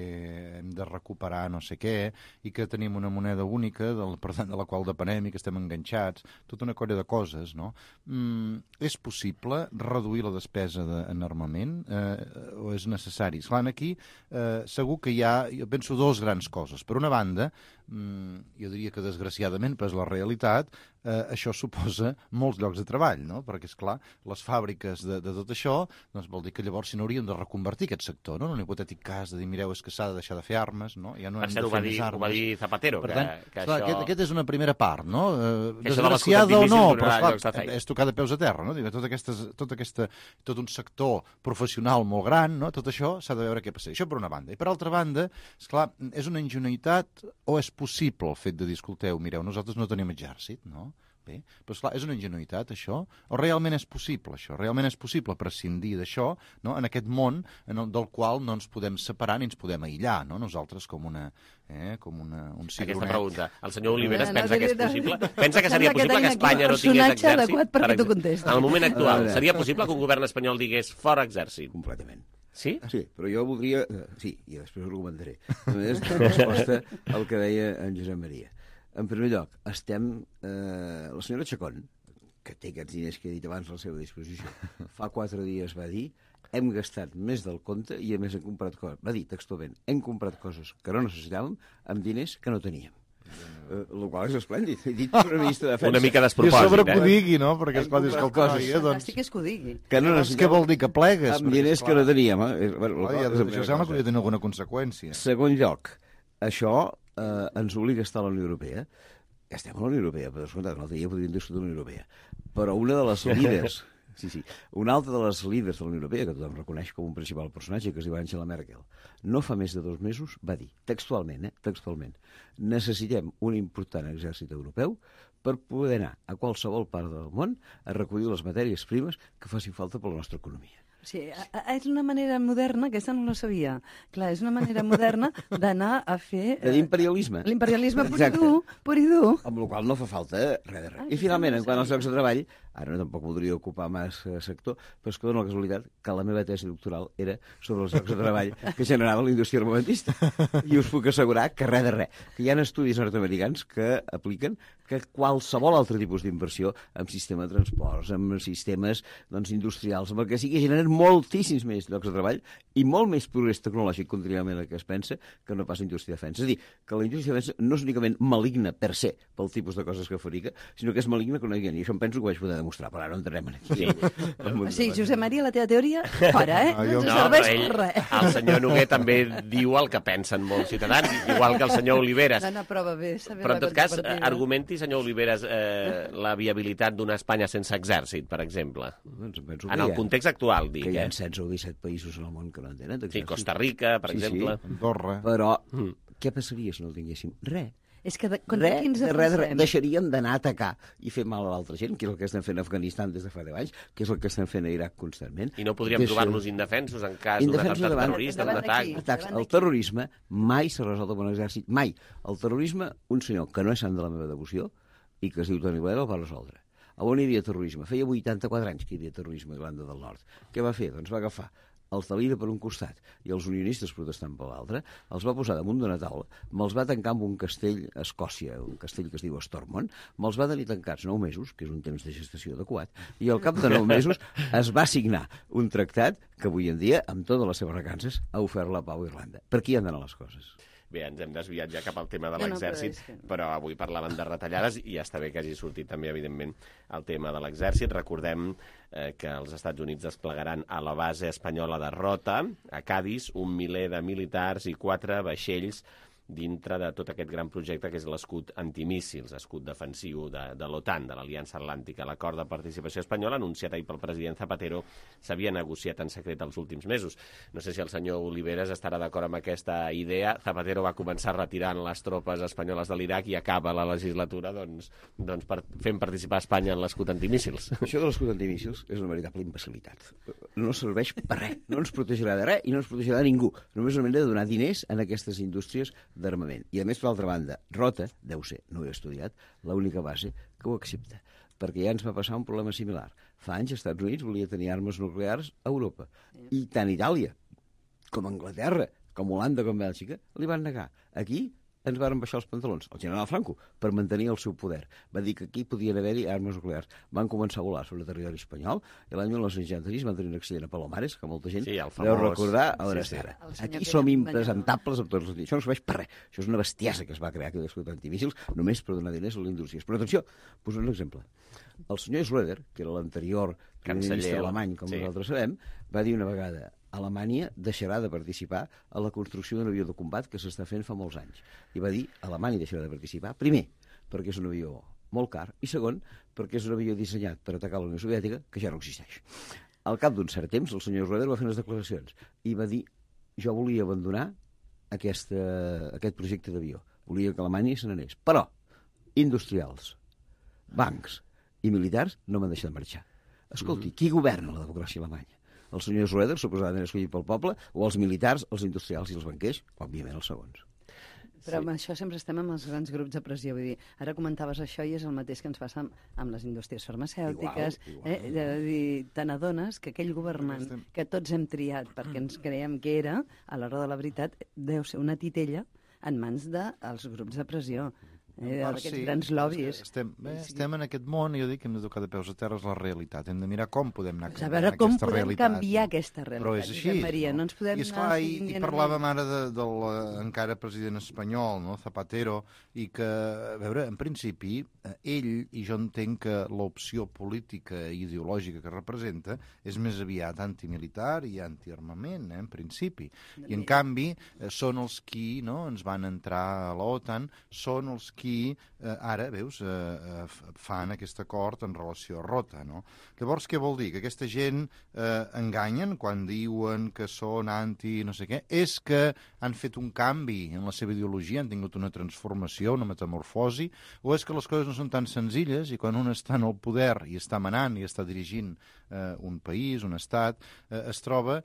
hem de recuperar no sé què i que tenim una moneda única del, per tant de la qual depenem i que estem enganxats, tota una colla de coses, no? Mm, és possible reduir la despesa de, en armament eh, o és necessari? Esclar, aquí eh, segur que hi ha, jo penso, dos grans coses. Per una banda, mm, jo diria que desgraciadament, però és la realitat, eh, això suposa molts llocs de treball, no? Perquè, és clar, les fàbriques de, de tot això, doncs vol dir que llavors si no hauríem de reconvertir aquest sector, no? En un hipotètic cas de dir, mireu, és que s'ha de deixar de fer armes, no? Ja no hem de fer més armes. Ho va dir Zapatero, per que, tant, que clar, això... aquest, aquest és una primera part, no? Eh, que desgraciada o no, però esclar, és tocar de peus a terra, no? Digue, tot, aquestes, tot, aquesta, tot un sector professional molt gran, no? Tot això s'ha de veure què passa. Això per una banda. I per altra banda, esclar, és una ingenuïtat o és possible el fet de dir, escolteu, mireu, nosaltres no tenim exèrcit, no? Bé, però esclar, és una ingenuïtat això? O realment és possible això? Realment és possible prescindir d'això, no? En aquest món en el, del qual no ens podem separar ni ens podem aïllar, no? Nosaltres com una... Eh, com una, un cigronet. Aquesta pregunta. El senyor Oliveres pensa que és possible? Pensa que seria possible que Espanya no tingués exèrcit? Adequat perquè tu contestes. En el moment actual, seria possible que un govern espanyol digués fora exèrcit? Completament. Sí? Sí, però jo voldria... Sí, i després ho argumentaré. Només la resposta al que deia en Josep Maria. En primer lloc, estem... Eh, la senyora Chacón, que té aquests diners que he dit abans a la seva disposició, fa quatre dies va dir hem gastat més del compte i a més hem comprat coses. Va dir textualment, hem comprat coses que no necessitàvem amb diners que no teníem. Uh, el qual és esplèndid. He dit una ministra de Defensa. Una mica despropòsit, I a sobre eh? que ho digui, no? Perquè esclar, dius que el coses... noia, doncs... Fantàstic és que ho digui. Que no Què vol dir que plegues? Amb diners que no teníem. Eh? Bueno, ja, això sembla que hauria de tenir alguna conseqüència. Segon lloc, això eh, ens obliga a estar a la Unió Europea. Estem a la Unió Europea, per descomptat, un altre dia podríem discutir la Unió Europea. Però una de les líders... Sí, sí. Una altra de les líders de la Unió Europea, que tothom reconeix com un principal personatge, que es diu Angela Merkel, no fa més de dos mesos va dir, textualment, eh, textualment, necessitem un important exèrcit europeu per poder anar a qualsevol part del món a recollir les matèries primes que facin falta per la nostra economia. Sí, és una manera moderna, aquesta no la sabia. Clar, és una manera moderna d'anar a fer... De l'imperialisme. L'imperialisme pur i dur, pur i dur. Amb la qual no fa falta res de res. I finalment, en quant als llocs de treball, ara no tampoc voldria ocupar massa sector, però és que dona la casualitat que la meva tesi doctoral era sobre els llocs de treball que generava la indústria armamentista. I us puc assegurar que res de res. Que hi ha estudis nord-americans que apliquen que qualsevol altre tipus d'inversió en sistema de transports, en sistemes doncs, industrials, amb el que sigui, generen moltíssims més llocs de treball i molt més progrés tecnològic, contràriament al que es pensa, que no pas la indústria de defensa. És a dir, que la indústria de defensa no és únicament maligna per se, pel tipus de coses que fabrica, sinó que és maligna que no hi ha. I això em penso que ho vaig poder demostrar, però ara no entrarem aquí. Sí, sí Josep Maria, la teva teoria, fora, eh? No, no serveix ell, per res. El senyor Noguer també diu el que pensen molts ciutadans, igual que el senyor Oliveres. No, no, prova bé, però en tot cas, argumenti, senyor Oliveres, eh, la viabilitat d'una Espanya sense exèrcit, per exemple. Doncs en el context actual, dic. Que hi ha setze o disset països en el món que no en tenen. Sí, Costa Rica, per sí, exemple. Sí. Andorra. Però mm. què passaria si no el tinguéssim? Res. És que de, contra res, qui ens de res, de res, defensem? deixaríem d'anar a atacar i fer mal a l'altra gent, que és el que estem fent a Afganistan des de fa deu anys, que és el que estem fent a Iraq constantment. I no podríem Deixa... trobar-nos indefensos en cas d'un atemptat terrorista, d'un atac. Atacs. El terrorisme mai s'ha resolt amb un exèrcit, mai. El terrorisme, un senyor que no és sant de la meva devoció i que es diu Tony Blair el va resoldre. A on hi havia terrorisme? Feia vuitanta-quatre anys que hi havia terrorisme a Irlanda del Nord. Què va fer? Doncs va agafar els de l'I R A per un costat i els unionistes protestant per l'altre, els va posar damunt d'una taula, me'ls va tancar amb un castell a Escòcia, un castell que es diu Stormont, me'ls va tenir tancats nou mesos, que és un temps de gestació adequat, i al cap de nou mesos es va signar un tractat que avui en dia, amb totes les seves recances, ha ofert la pau a Irlanda. Per aquí han d'anar les coses. Bé, ens hem desviat ja cap al tema de No, no, l'exèrcit, però és que- però avui parlàvem de retallades i ja està bé que hagi sortit també, evidentment, el tema de l'exèrcit. Recordem eh, que els Estats Units desplegaran a la base espanyola de Rota, a Cádiz, un miler de militars i quatre vaixells dintre de tot aquest gran projecte que és l'escut antimíssils, escut defensiu de, de l'OTAN, de l'Aliança Atlàntica. L'acord de participació espanyola, anunciat ahir pel president Zapatero, s'havia negociat en secret els últims mesos. No sé si el senyor Oliveres estarà d'acord amb aquesta idea. Zapatero va començar retirant les tropes espanyoles de l'Iraq i acaba la legislatura doncs, doncs per, fent participar Espanya en l'escut antimíssils. Això de l'escut antimíssils és una veritable imbecilitat. No serveix per res, no ens protegirà de res i no ens protegirà de ningú. Només una manera de donar diners en aquestes indústries d'armament. I a més, per l'altra banda, Rota, deu ser, no ho he estudiat, l'única base que ho accepta, perquè ja ens va passar un problema similar. Fa anys, els Estats Units volia tenir armes nuclears a Europa, i tant Itàlia com Anglaterra, com Holanda, com Bèlgica, li van negar. Aquí ens varen baixar els pantalons, el general Franco, per mantenir el seu poder. Va dir que aquí podien haver-hi armes nuclears. Van començar a volar sobre el territori espanyol i l'any mil nou-cents seixanta-sis van tenir un accident a Palomares, que molta gent Sí, el deu famós- recordar a hores sí, sí. d'ara. El senyor Aquí que som era impresentables amb tots els dies. Això no serveix per res. Això és una bestiesa que es va crear aquí l'escut antimíssils només per donar diners a les indústries. Però atenció, poso un exemple. El senyor Schröder, que era l'anterior primer ministre Canceller, alemany, com sí. nosaltres sabem, va dir una vegada: Alemanya deixarà de participar a la construcció d'un avió de combat que s'està fent fa molts anys. I va dir: Alemanya deixarà de participar, primer, perquè és un avió molt car, i segon, perquè és un avió dissenyat per atacar la Unió Soviètica, que ja no existeix. Al cap d'un cert temps, el senyor Schröder va fer unes declaracions i va dir: jo volia abandonar aquesta, aquest projecte d'avió. Volia que Alemanya se n'anés. Però industrials, bancs i militars no m'han deixat marxar. Escolti, qui governa la democràcia alemanya? El senyor Schröder, suposadament escollit pel poble, o els militars, els industrials i els banquers? Òbviament els segons. Però amb això sempre estem amb els grans grups de pressió. Vull dir, ara comentaves això i és el mateix que ens passa amb, amb les indústries farmacèutiques. Igual, igual. Eh? De dir, te n'adones que aquell governant que tots hem triat perquè ens creiem que era, a l'hora de la veritat, deu ser una titella en mans dels grups de pressió. Eh, d'aquests sí, grans lobbies. Estem, bé, estem en aquest món i jo dic que hem de tocar de peus a terra és la realitat. Hem de mirar com podem anar A canviant veure com aquesta podem realitat. canviar aquesta realitat. Però és així. Josep Maria, no ens podem I, esclar, anar i, seguint i dient parlàvem ara de, del eh, encara president espanyol, no? Zapatero, i que, a veure, en principi, eh, ell, i jo entenc que l'opció política i ideològica que representa és més aviat antimilitar i antiarmament, eh, en principi. I, en canvi, eh, són els qui no, ens van entrar a l'OTAN, són els qui eh, ara, veus, eh, eh, fan aquest acord en relació a Rota, no? Llavors, què vol dir? Que aquesta gent eh, enganyen quan diuen que són anti no sé què? És que han fet un canvi en la seva ideologia, han tingut una transformació, una metamorfosi, o és que les coses no són tan senzilles i quan un està en el poder i està manant i està dirigint eh, un país, un estat, eh, es troba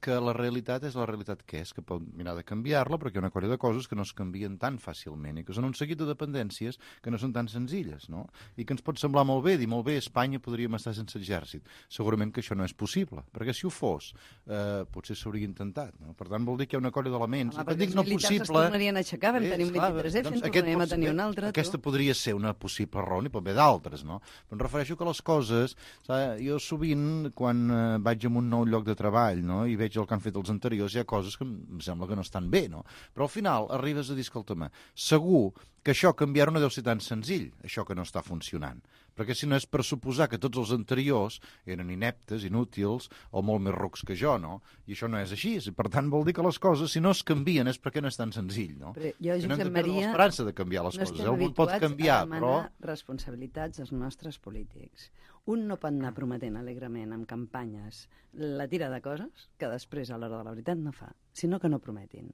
que la realitat és la realitat que és, que pot mirar de canviar-la, però que hi ha una colla de coses que no es canvien tan fàcilment i que són un seguit de dependències que no són tan senzilles, no? I que ens pot semblar molt bé, dir molt bé, a Espanya podríem estar sense exèrcit. Segurament que això no és possible, perquè si ho fos, eh, potser s'hauria intentat, no? Per tant, vol dir que hi ha una colla d'elements. Home, I quan dic els no militars possible... es tornarien a aixecar, vam Eh, tenir un esclar, vint-i-tres F, doncs en aquest tornarem a pot tenir ser- un altre. Aquesta tu. podria ser una possible raó, n'hi pot haver d'altres, no? Però em refereixo que les coses... Saps, jo sovint, quan eh, vaig a un nou lloc de treball, no?, i veig el que han fet els anteriors, hi ha coses que em sembla que no estan bé, no? Però al final arribes a dir, escolta'm, segur que això canviar-ho no deu ser tan senzill, això que no està funcionant. Perquè si no és per suposar que tots els anteriors eren ineptes, inútils o molt més rucs que jo, no? I això no és així. I per tant vol dir que les coses, si no es canvien, és perquè no és tan senzill, no? Però jo, I no hem Josep de perdre Maria, l'esperança de canviar les no coses. estem Algú pot habituats canviar, a demanar però... responsabilitats als nostres polítics. Un no pot anar prometent alegrement amb campanyes la tira de coses que després, a l'hora de la veritat, no fa, sinó que no prometin.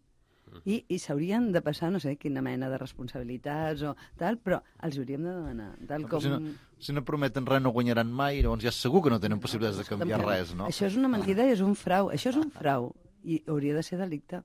I, i s'haurien de passar, no sé, quina mena de responsabilitats o tal, però els hauríem de demanar. Tal com... Si no, si no prometen res no guanyaran mai, llavors ja segur que no tenen possibilitats de canviar res, no? Això és una mentida i és un frau. Això és un frau i hauria de ser delicte.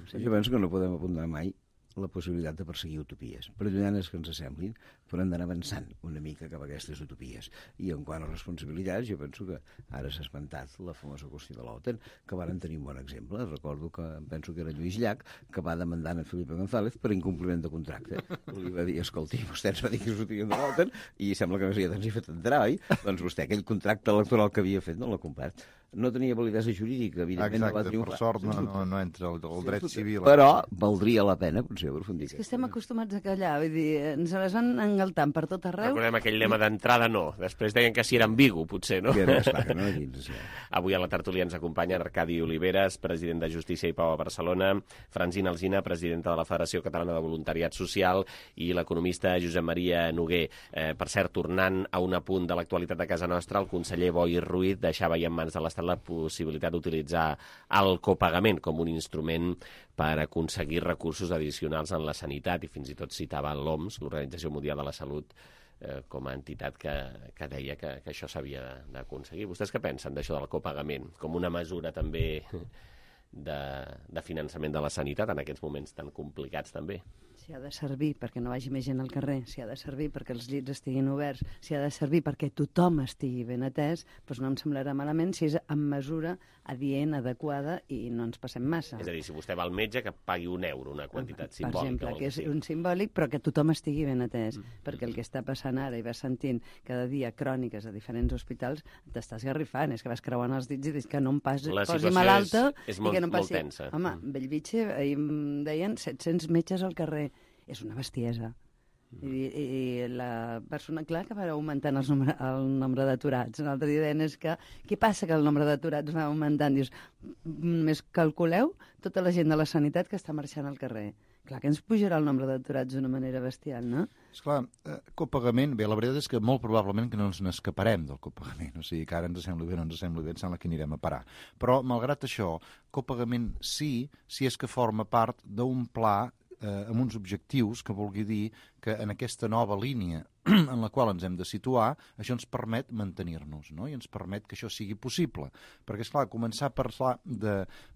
Sí. Jo penso que no podem apuntar mai la possibilitat de perseguir utopies, per lluianes que ens assemblin, però hem d'anar avançant una mica cap a aquestes utopies. I en quant a responsabilitats, jo penso que ara s'ha esmentat la famosa qüestió de l'OTAN, que varen tenir un bon exemple. Recordo que, penso que era Lluís Llach, que va demandar a Felipe González per incompliment de contracte. Li va dir, escolti, vostè ens va dir que sortien de l'OTAN i sembla que no s'hi ha tant fet entrar, oi? Doncs vostè aquell contracte electoral que havia fet no l'ha complert. No tenia validesa jurídica, evidentment. Exacte, no va triomfar. per sort no, no, no entra el, el dret civil. Però valdria la pena, potser, aprofundir. És que estem acostumats a callar, vull dir, ens les van engaltant per tot arreu. Recordem aquell lema d'entrada no, després deien que si era ambigu, potser, no? Que era, esclar, que no era dins, sí. Avui a la tertúlia ens acompanya Arcadi Oliveres, president de Justícia i Pau a Barcelona, Francina Alsina, presidenta de la Federació Catalana de Voluntariat Social, i l'economista Josep Maria Noguer. Eh, per cert, tornant a un apunt de l'actualitat de casa nostra, el conseller Boi Ruiz deixava ja en mans de l'Estat la possibilitat d'utilitzar el copagament com un instrument per aconseguir recursos addicionals en la sanitat, i fins i tot citava l'O M S, l'Organització Mundial de la Salut, eh, com a entitat que, que deia que, que això s'havia d'aconseguir. Vostès què pensen d'això del copagament? Com una mesura també de, de finançament de la sanitat en aquests moments tan complicats també? Si ha de servir perquè no vagi més gent al carrer, si ha de servir perquè els llits estiguin oberts, si ha de servir perquè tothom estigui ben atès, doncs no em semblarà malament si és en mesura adient, adequada i no ens passem massa. És a dir, si vostè va al metge, que pagui un euro, una quantitat simbòlica. Per exemple, que és un simbòlic, però que tothom estigui ben atès, mm. perquè el que està passant ara i vas sentint cada dia cròniques a diferents hospitals, t'estàs garrifant, és que vas creuant els dits i dius que no em passi, posi malalta és, és i molt, que no em passi. molt tensa. Home, mm. Bellvitge, ahir em deien set-cents metges al carrer. És una bestiesa. Mm. I, i la persona, clar, que va augmentant els nombre, el nombre d'aturats. L'altre dia deien és que què passa que el nombre d'aturats va augmentant? Dius, només calculeu tota la gent de la sanitat que està marxant al carrer. Clar que ens pujarà el nombre d'aturats d'una manera bestial, no? Esclar, eh, copagament, bé, la veritat és que molt probablement que no ens n'escaparem del copagament, o sigui que ara ens sembla bé, no ens sembla bé, ens sembla que anirem a parar. Però, malgrat això, copagament sí, si és que forma part d'un pla eh, amb uns objectius que vulgui dir que en aquesta nova línia en la qual ens hem de situar, això ens permet mantenir-nos, no? I ens permet que això sigui possible. Perquè, esclar, començar a parlar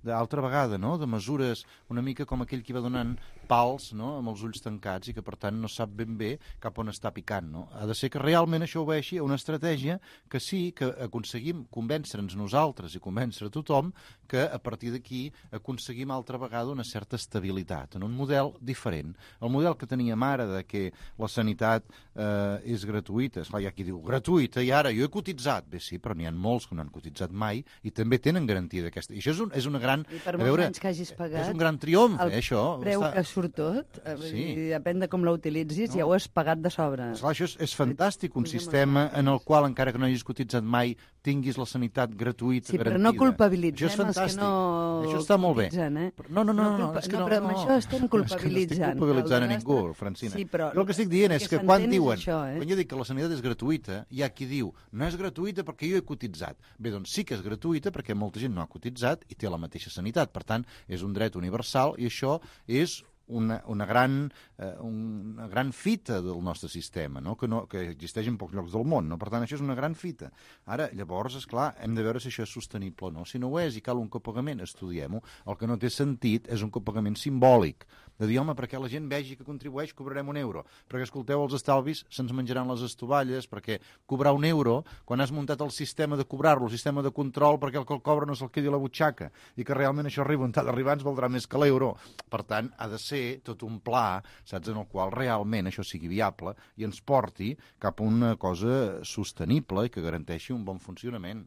d'altra vegada, no?, de mesures una mica com aquell que va donant pals, no?, amb els ulls tancats i que, per tant, no sap ben bé cap on està picant, no? Ha de ser que realment això obeixi a una estratègia que sí que aconseguim convèncer-nos nosaltres i convèncer a tothom que a partir d'aquí aconseguim altra vegada una certa estabilitat, en un model diferent. El model que teníem ara de que la sanitat eh, és gratuïta, esclar, hi ha qui diu gratuïta i ara jo he cotitzat, bé sí, però n'hi ha molts que no han cotitzat mai i també tenen garantia d'aquesta. I això és, un, és una gran... I per molts veure, anys que hagis pagat... És un gran triomf, el eh, això. El preu està... que surt tot, eh, sí. i depèn de com l'utilitzis, no. Ja ho has pagat de sobre. Esclar, això és, és fantàstic, un sistema en el qual, encara que no hagis cotitzat mai, tinguis la sanitat gratuïta, sí, garantida. Però no culpabilitzem això és fantàstic. Els que no això està molt bé. Eh? No, no, no, no, no, no, és que no, no, però no, amb això estem culpabilitzant. És que no estic culpabilitzant a ningú, Francina. Sí, però jo el que estic dient és que quan diuen, això, eh? quan jo dic que la sanitat és gratuïta, hi ha qui diu, no és gratuïta perquè jo he cotitzat. Bé, doncs sí que és gratuïta perquè molta gent no ha cotitzat i té la mateixa sanitat. Per tant, és un dret universal i això és una, una, gran, eh, una gran fita del nostre sistema, no? Que, no, que existeix en pocs llocs del món. No? Per tant, això és una gran fita. Ara, llavors, esclar, hem de veure si això és sostenible o no. Si no ho és i cal un copagament, estudiem-ho. El que no té sentit és un copagament simbòlic. De dir, home, perquè la gent vegi que contribueix, cobrarem un euro. Perquè, escolteu, els estalvis se'ns menjaran les estovalles, perquè cobrar un euro, quan has muntat el sistema de cobrar-lo, el sistema de control, perquè el que el cobra no se'l quedi a la butxaca, i que realment això arriba on ha d'arribar, ens valdrà més que l'euro. Per tant, ha de ser tot un pla, saps, en el qual realment això sigui viable i ens porti cap a una cosa sostenible i que garanteixi un bon funcionament.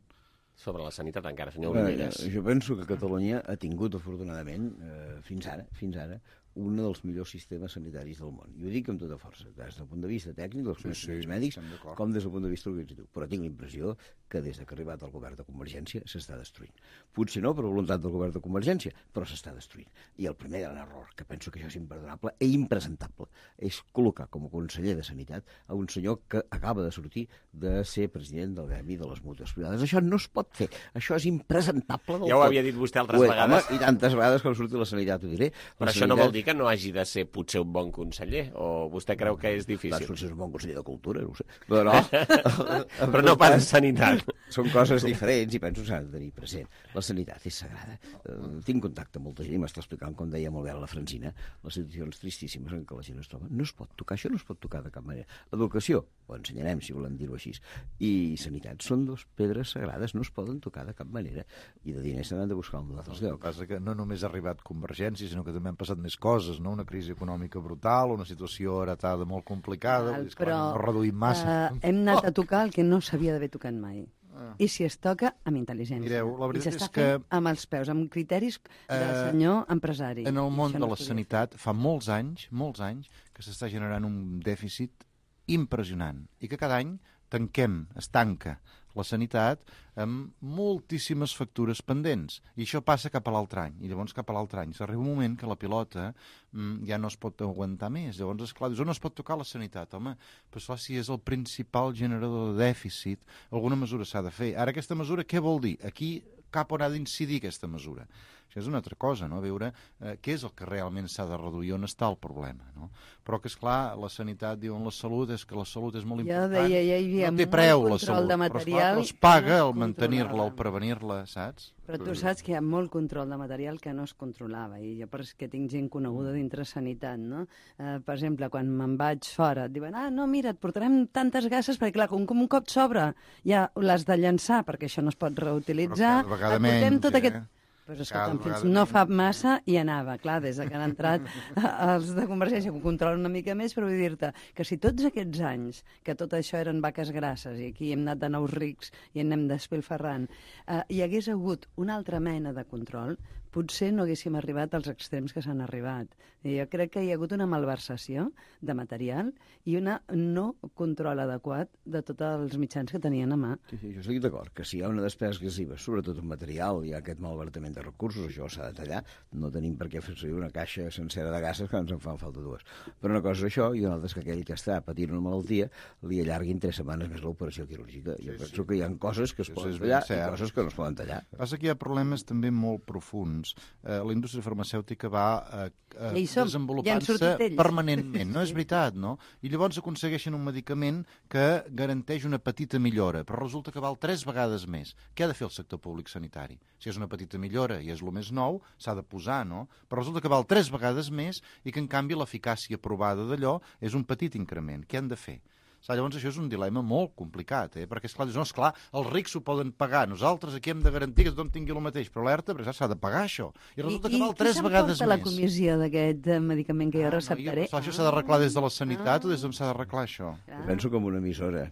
Sobre la sanitat encara, senyor Oliveres. Eh, jo penso que Catalunya ha tingut, afortunadament, eh, fins ara, fins ara, un dels millors sistemes sanitaris del món. I ho dic amb tota força, des del punt de vista tècnic, dels coneixements sí, sí, mèdics, com des del punt de vista organitzatiu. Però tinc la impressió que des que ha arribat el govern de Convergència s'està destruint. Potser no per voluntat del govern de Convergència, però s'està destruint. I el primer gran error, que penso que això és imperdonable i impresentable, és col·locar com a conseller de Sanitat a un senyor que acaba de sortir de ser president del gremi de les mútues privades. Això no es pot fer. Això és impresentable del Ja ho tot. havia dit vostè altres Ué, vegades. Home, i tantes vegades com surti la Sanitat ho diré. Però la això sanitat... no vol dir que no hagi de ser potser un bon conseller? O vostè creu que és difícil? Doncs potser és un bon conseller de Cultura, no ho sé. Però no, Però no pas Sanitat. Són coses diferents i penso que s'ha de tenir present. La sanitat és sagrada. Uh, tinc contacte amb molta gent i m'està explicant, com deia molt bé la Francina, les situacions tristíssimes en què la gent es troba. No es pot tocar, això no es pot tocar de cap manera. Educació, ho ensenyarem, si volem dir-ho així. I sanitat són dos pedres sagrades, no es poden tocar de cap manera. I de diners s'han de buscar un altre lloc. El que passa que no només ha arribat Convergència, sinó que també han passat més coses, no? Una crisi econòmica brutal, una situació heretada molt complicada, Val, és però no reduïm massa. Uh, hem anat a tocar el que no s'havia d'haver tocat mai. Ah. I si es toca, amb intel·ligència. Mireu, la veritat I s'està és que... fent amb els peus, amb criteris del eh, senyor empresari. En el món de no la sanitat, fa molts anys, molts anys, que s'està generant un dèficit impressionant i que cada any tanquem, es tanca la sanitat amb moltíssimes factures pendents. I això passa cap a l'altre any. I llavors cap a l'altre any s'arriba un moment que la pilota mm, ja no es pot aguantar més. Llavors, esclar, dius, on es pot tocar la sanitat? Home, però esclar, si és el principal generador de dèficit, alguna mesura s'ha de fer. Ara, aquesta mesura què vol dir? Aquí cap on ha d'incidir aquesta mesura? Això és una altra cosa, no? Veure eh, què és el que realment s'ha de reduir, on està el problema, no? Però que, esclar, la sanitat, diuen la salut, és que la salut és molt Ja important. deia, ja hi havia no té molt preu, la control salut, de però, esclar, material però es paga que no el es mantenir-la, controlava. el prevenir-la, saps? Però tu saps que hi ha molt control de material que no es controlava, i jo perquè tinc gent coneguda dintre sanitat, no? Eh, per exemple, quan me'n vaig fora, et diuen, ah, no, mira, et portarem tantes gasses, perquè clar, com, com un cop s'obre, ja l'has de llançar, perquè això no es pot reutilitzar, Però cada vegada et portem menys, tot eh? aquest... Però escolta'm, Cada fins vegada no fa massa i anava, clar, des de que han entrat els de Convergència, que ho controlen una mica més, però vull dir-te que si tots aquests anys, que tot això eren vaques grasses, i aquí hem anat de nous rics i en anem despilferrant, eh, hi hagués hagut una altra mena de control, potser no haguéssim arribat als extrems que s'han arribat. I jo crec que hi ha hagut una malversació de material i una no control adequat de tots els mitjans que tenien a mà. Sí, sí, jo estic d'acord, que si hi ha una despesa excessiva, sobretot en material, hi ha aquest malbaratament de recursos, això s'ha de tallar, no tenim per què fer servir una caixa sencera de gasses que ens en fan falta dues. Però una cosa és això, i una altra és que aquell que està patint una malaltia li allarguin tres setmanes més l'operació quirúrgica. Jo sí, penso sí. que hi ha coses que es Això poden és tallar ben cert. i coses que no es poden tallar. Passa que hi ha problemes també molt profunds. Eh, la indústria farmacèutica va eh, eh, Ja hi som, ja han desenvolupant-se sortit ells. permanentment, no és veritat, no? I llavors aconsegueixen un medicament que garanteix una petita millora, però resulta que val tres vegades més. Què ha de fer el sector públic sanitari? Si és una petita millora i és el més nou, s'ha de posar, no? Però resulta que val tres vegades més i que, en canvi, l'eficàcia provada d'allò és un petit increment. Què han de fer? Llavors això és un dilema molt complicat, eh? Perquè esclar, no, esclar, els rics s'ho poden pagar, nosaltres aquí hem de garantir que tothom tingui el mateix, però alerta, perquè s'ha de pagar això. I resulta I, que val tres vegades més. I qui s'emporta la comissió d'aquest medicament que jo ah, receptaré? No, jo, això s'ha d'arreglar des de la sanitat ah. o des d'on s'ha d'arreglar això? Ah. Penso que amb una emissora,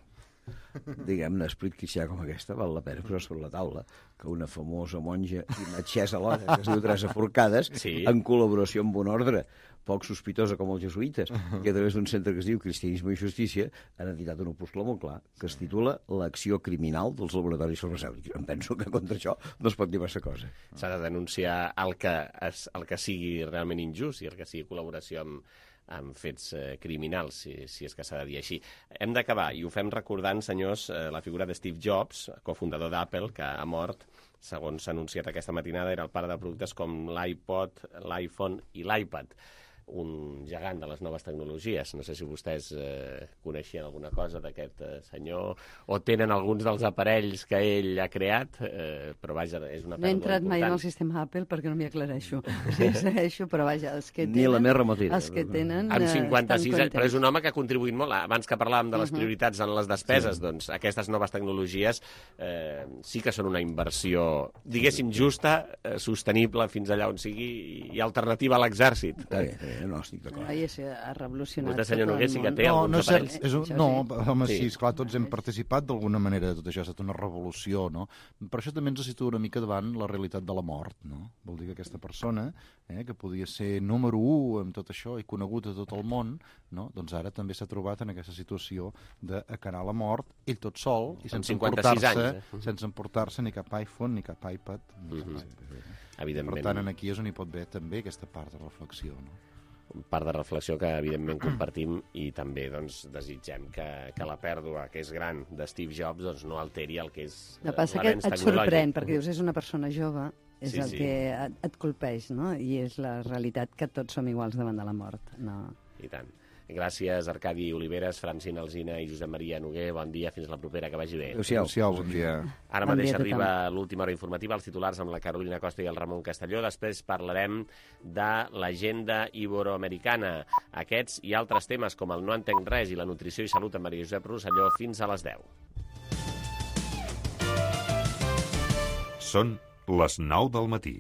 diguem-ne, espritquicià com aquesta, val la pena posar sobre la taula que una famosa monja i metgessa alhora, que es diu Teresa Forcades, sí. en col·laboració amb un ordre poc sospitosa com els jesuïtes, que a través d'un centre que es diu Cristianisme i Justícia han editat un opuscle molt clar que es titula L'acció criminal dels laboratoris farmacèutics. Em penso que contra això no es pot dir massa cosa. S'ha de denunciar el que, es, el que sigui realment injust i el que sigui col·laboració amb, amb fets eh, criminals, si, si és que s'ha de dir així. Hem d'acabar, i ho fem recordant, senyors, eh, la figura de Steve Jobs, cofundador d'Apple, que ha mort, segons s'ha anunciat aquesta matinada, era el pare de productes com l'iPod, l'iPhone i l'iPad, un gegant de les noves tecnologies. No sé si vostès eh, coneixien alguna cosa d'aquest eh, senyor o tenen alguns dels aparells que ell ha creat, eh, però vaja, és una pèrdua important. No he entrat mai en el sistema Apple perquè no m'hi aclareixo. Sí, segueixo, però vaja, els que tenen... Ni la més remotida. Els que tenen... Amb cinquanta-sis anys, però és un home que ha contribuït molt. Abans que parlàvem de les prioritats en les despeses, sí. doncs aquestes noves tecnologies eh, sí que són una inversió, diguéssim, justa, eh, sostenible fins allà on sigui i alternativa a l'exèrcit. Està bé, està bé. no, estic d'acord. Ai, ha revolucionat. Vostè, senyor Noguer, sí que té no, alguns no, és cert, aparells. és un, no, home, sí, esclar, tots hem participat d'alguna manera de tot això, ha estat una revolució, no? Per això també ens situa una mica davant la realitat de la mort, no? Vol dir que aquesta persona, eh, que podia ser número u amb tot això i conegut a tot el món, no? Doncs ara també s'ha trobat en aquesta situació d'acanar la mort, ell tot sol, i sense emportar-se eh? sense emportar-se ni cap iPhone, ni cap iPad. Mm-hmm. Evidentment. Per tant, aquí és on hi pot haver també aquesta part de reflexió, no? Part de reflexió que evidentment compartim i també doncs, desitgem que, que la pèrdua que és gran de Steve Jobs doncs, no alteri el que és el que passa que et sorprèn, perquè dius, és una persona jove, és sí, el sí. que et, et colpeix, no? I és la realitat que tots som iguals davant de la mort. No. I tant. Gràcies, Arcadi Oliveres, Francina Alsina i Josep Maria Noguer. Bon dia, fins la propera, que vagi bé. Adéu-siau. Adéu-siau, bon dia. Ara Bon mateix dia a arriba l'última hora informativa, els titulars amb la Carolina Costa i el Ramon Castelló. Després parlarem de l'agenda iberoamericana. Aquests i altres temes com el No entenc res i la nutrició i salut amb Maria Josep Rosselló fins a les deu. Són les nou del matí.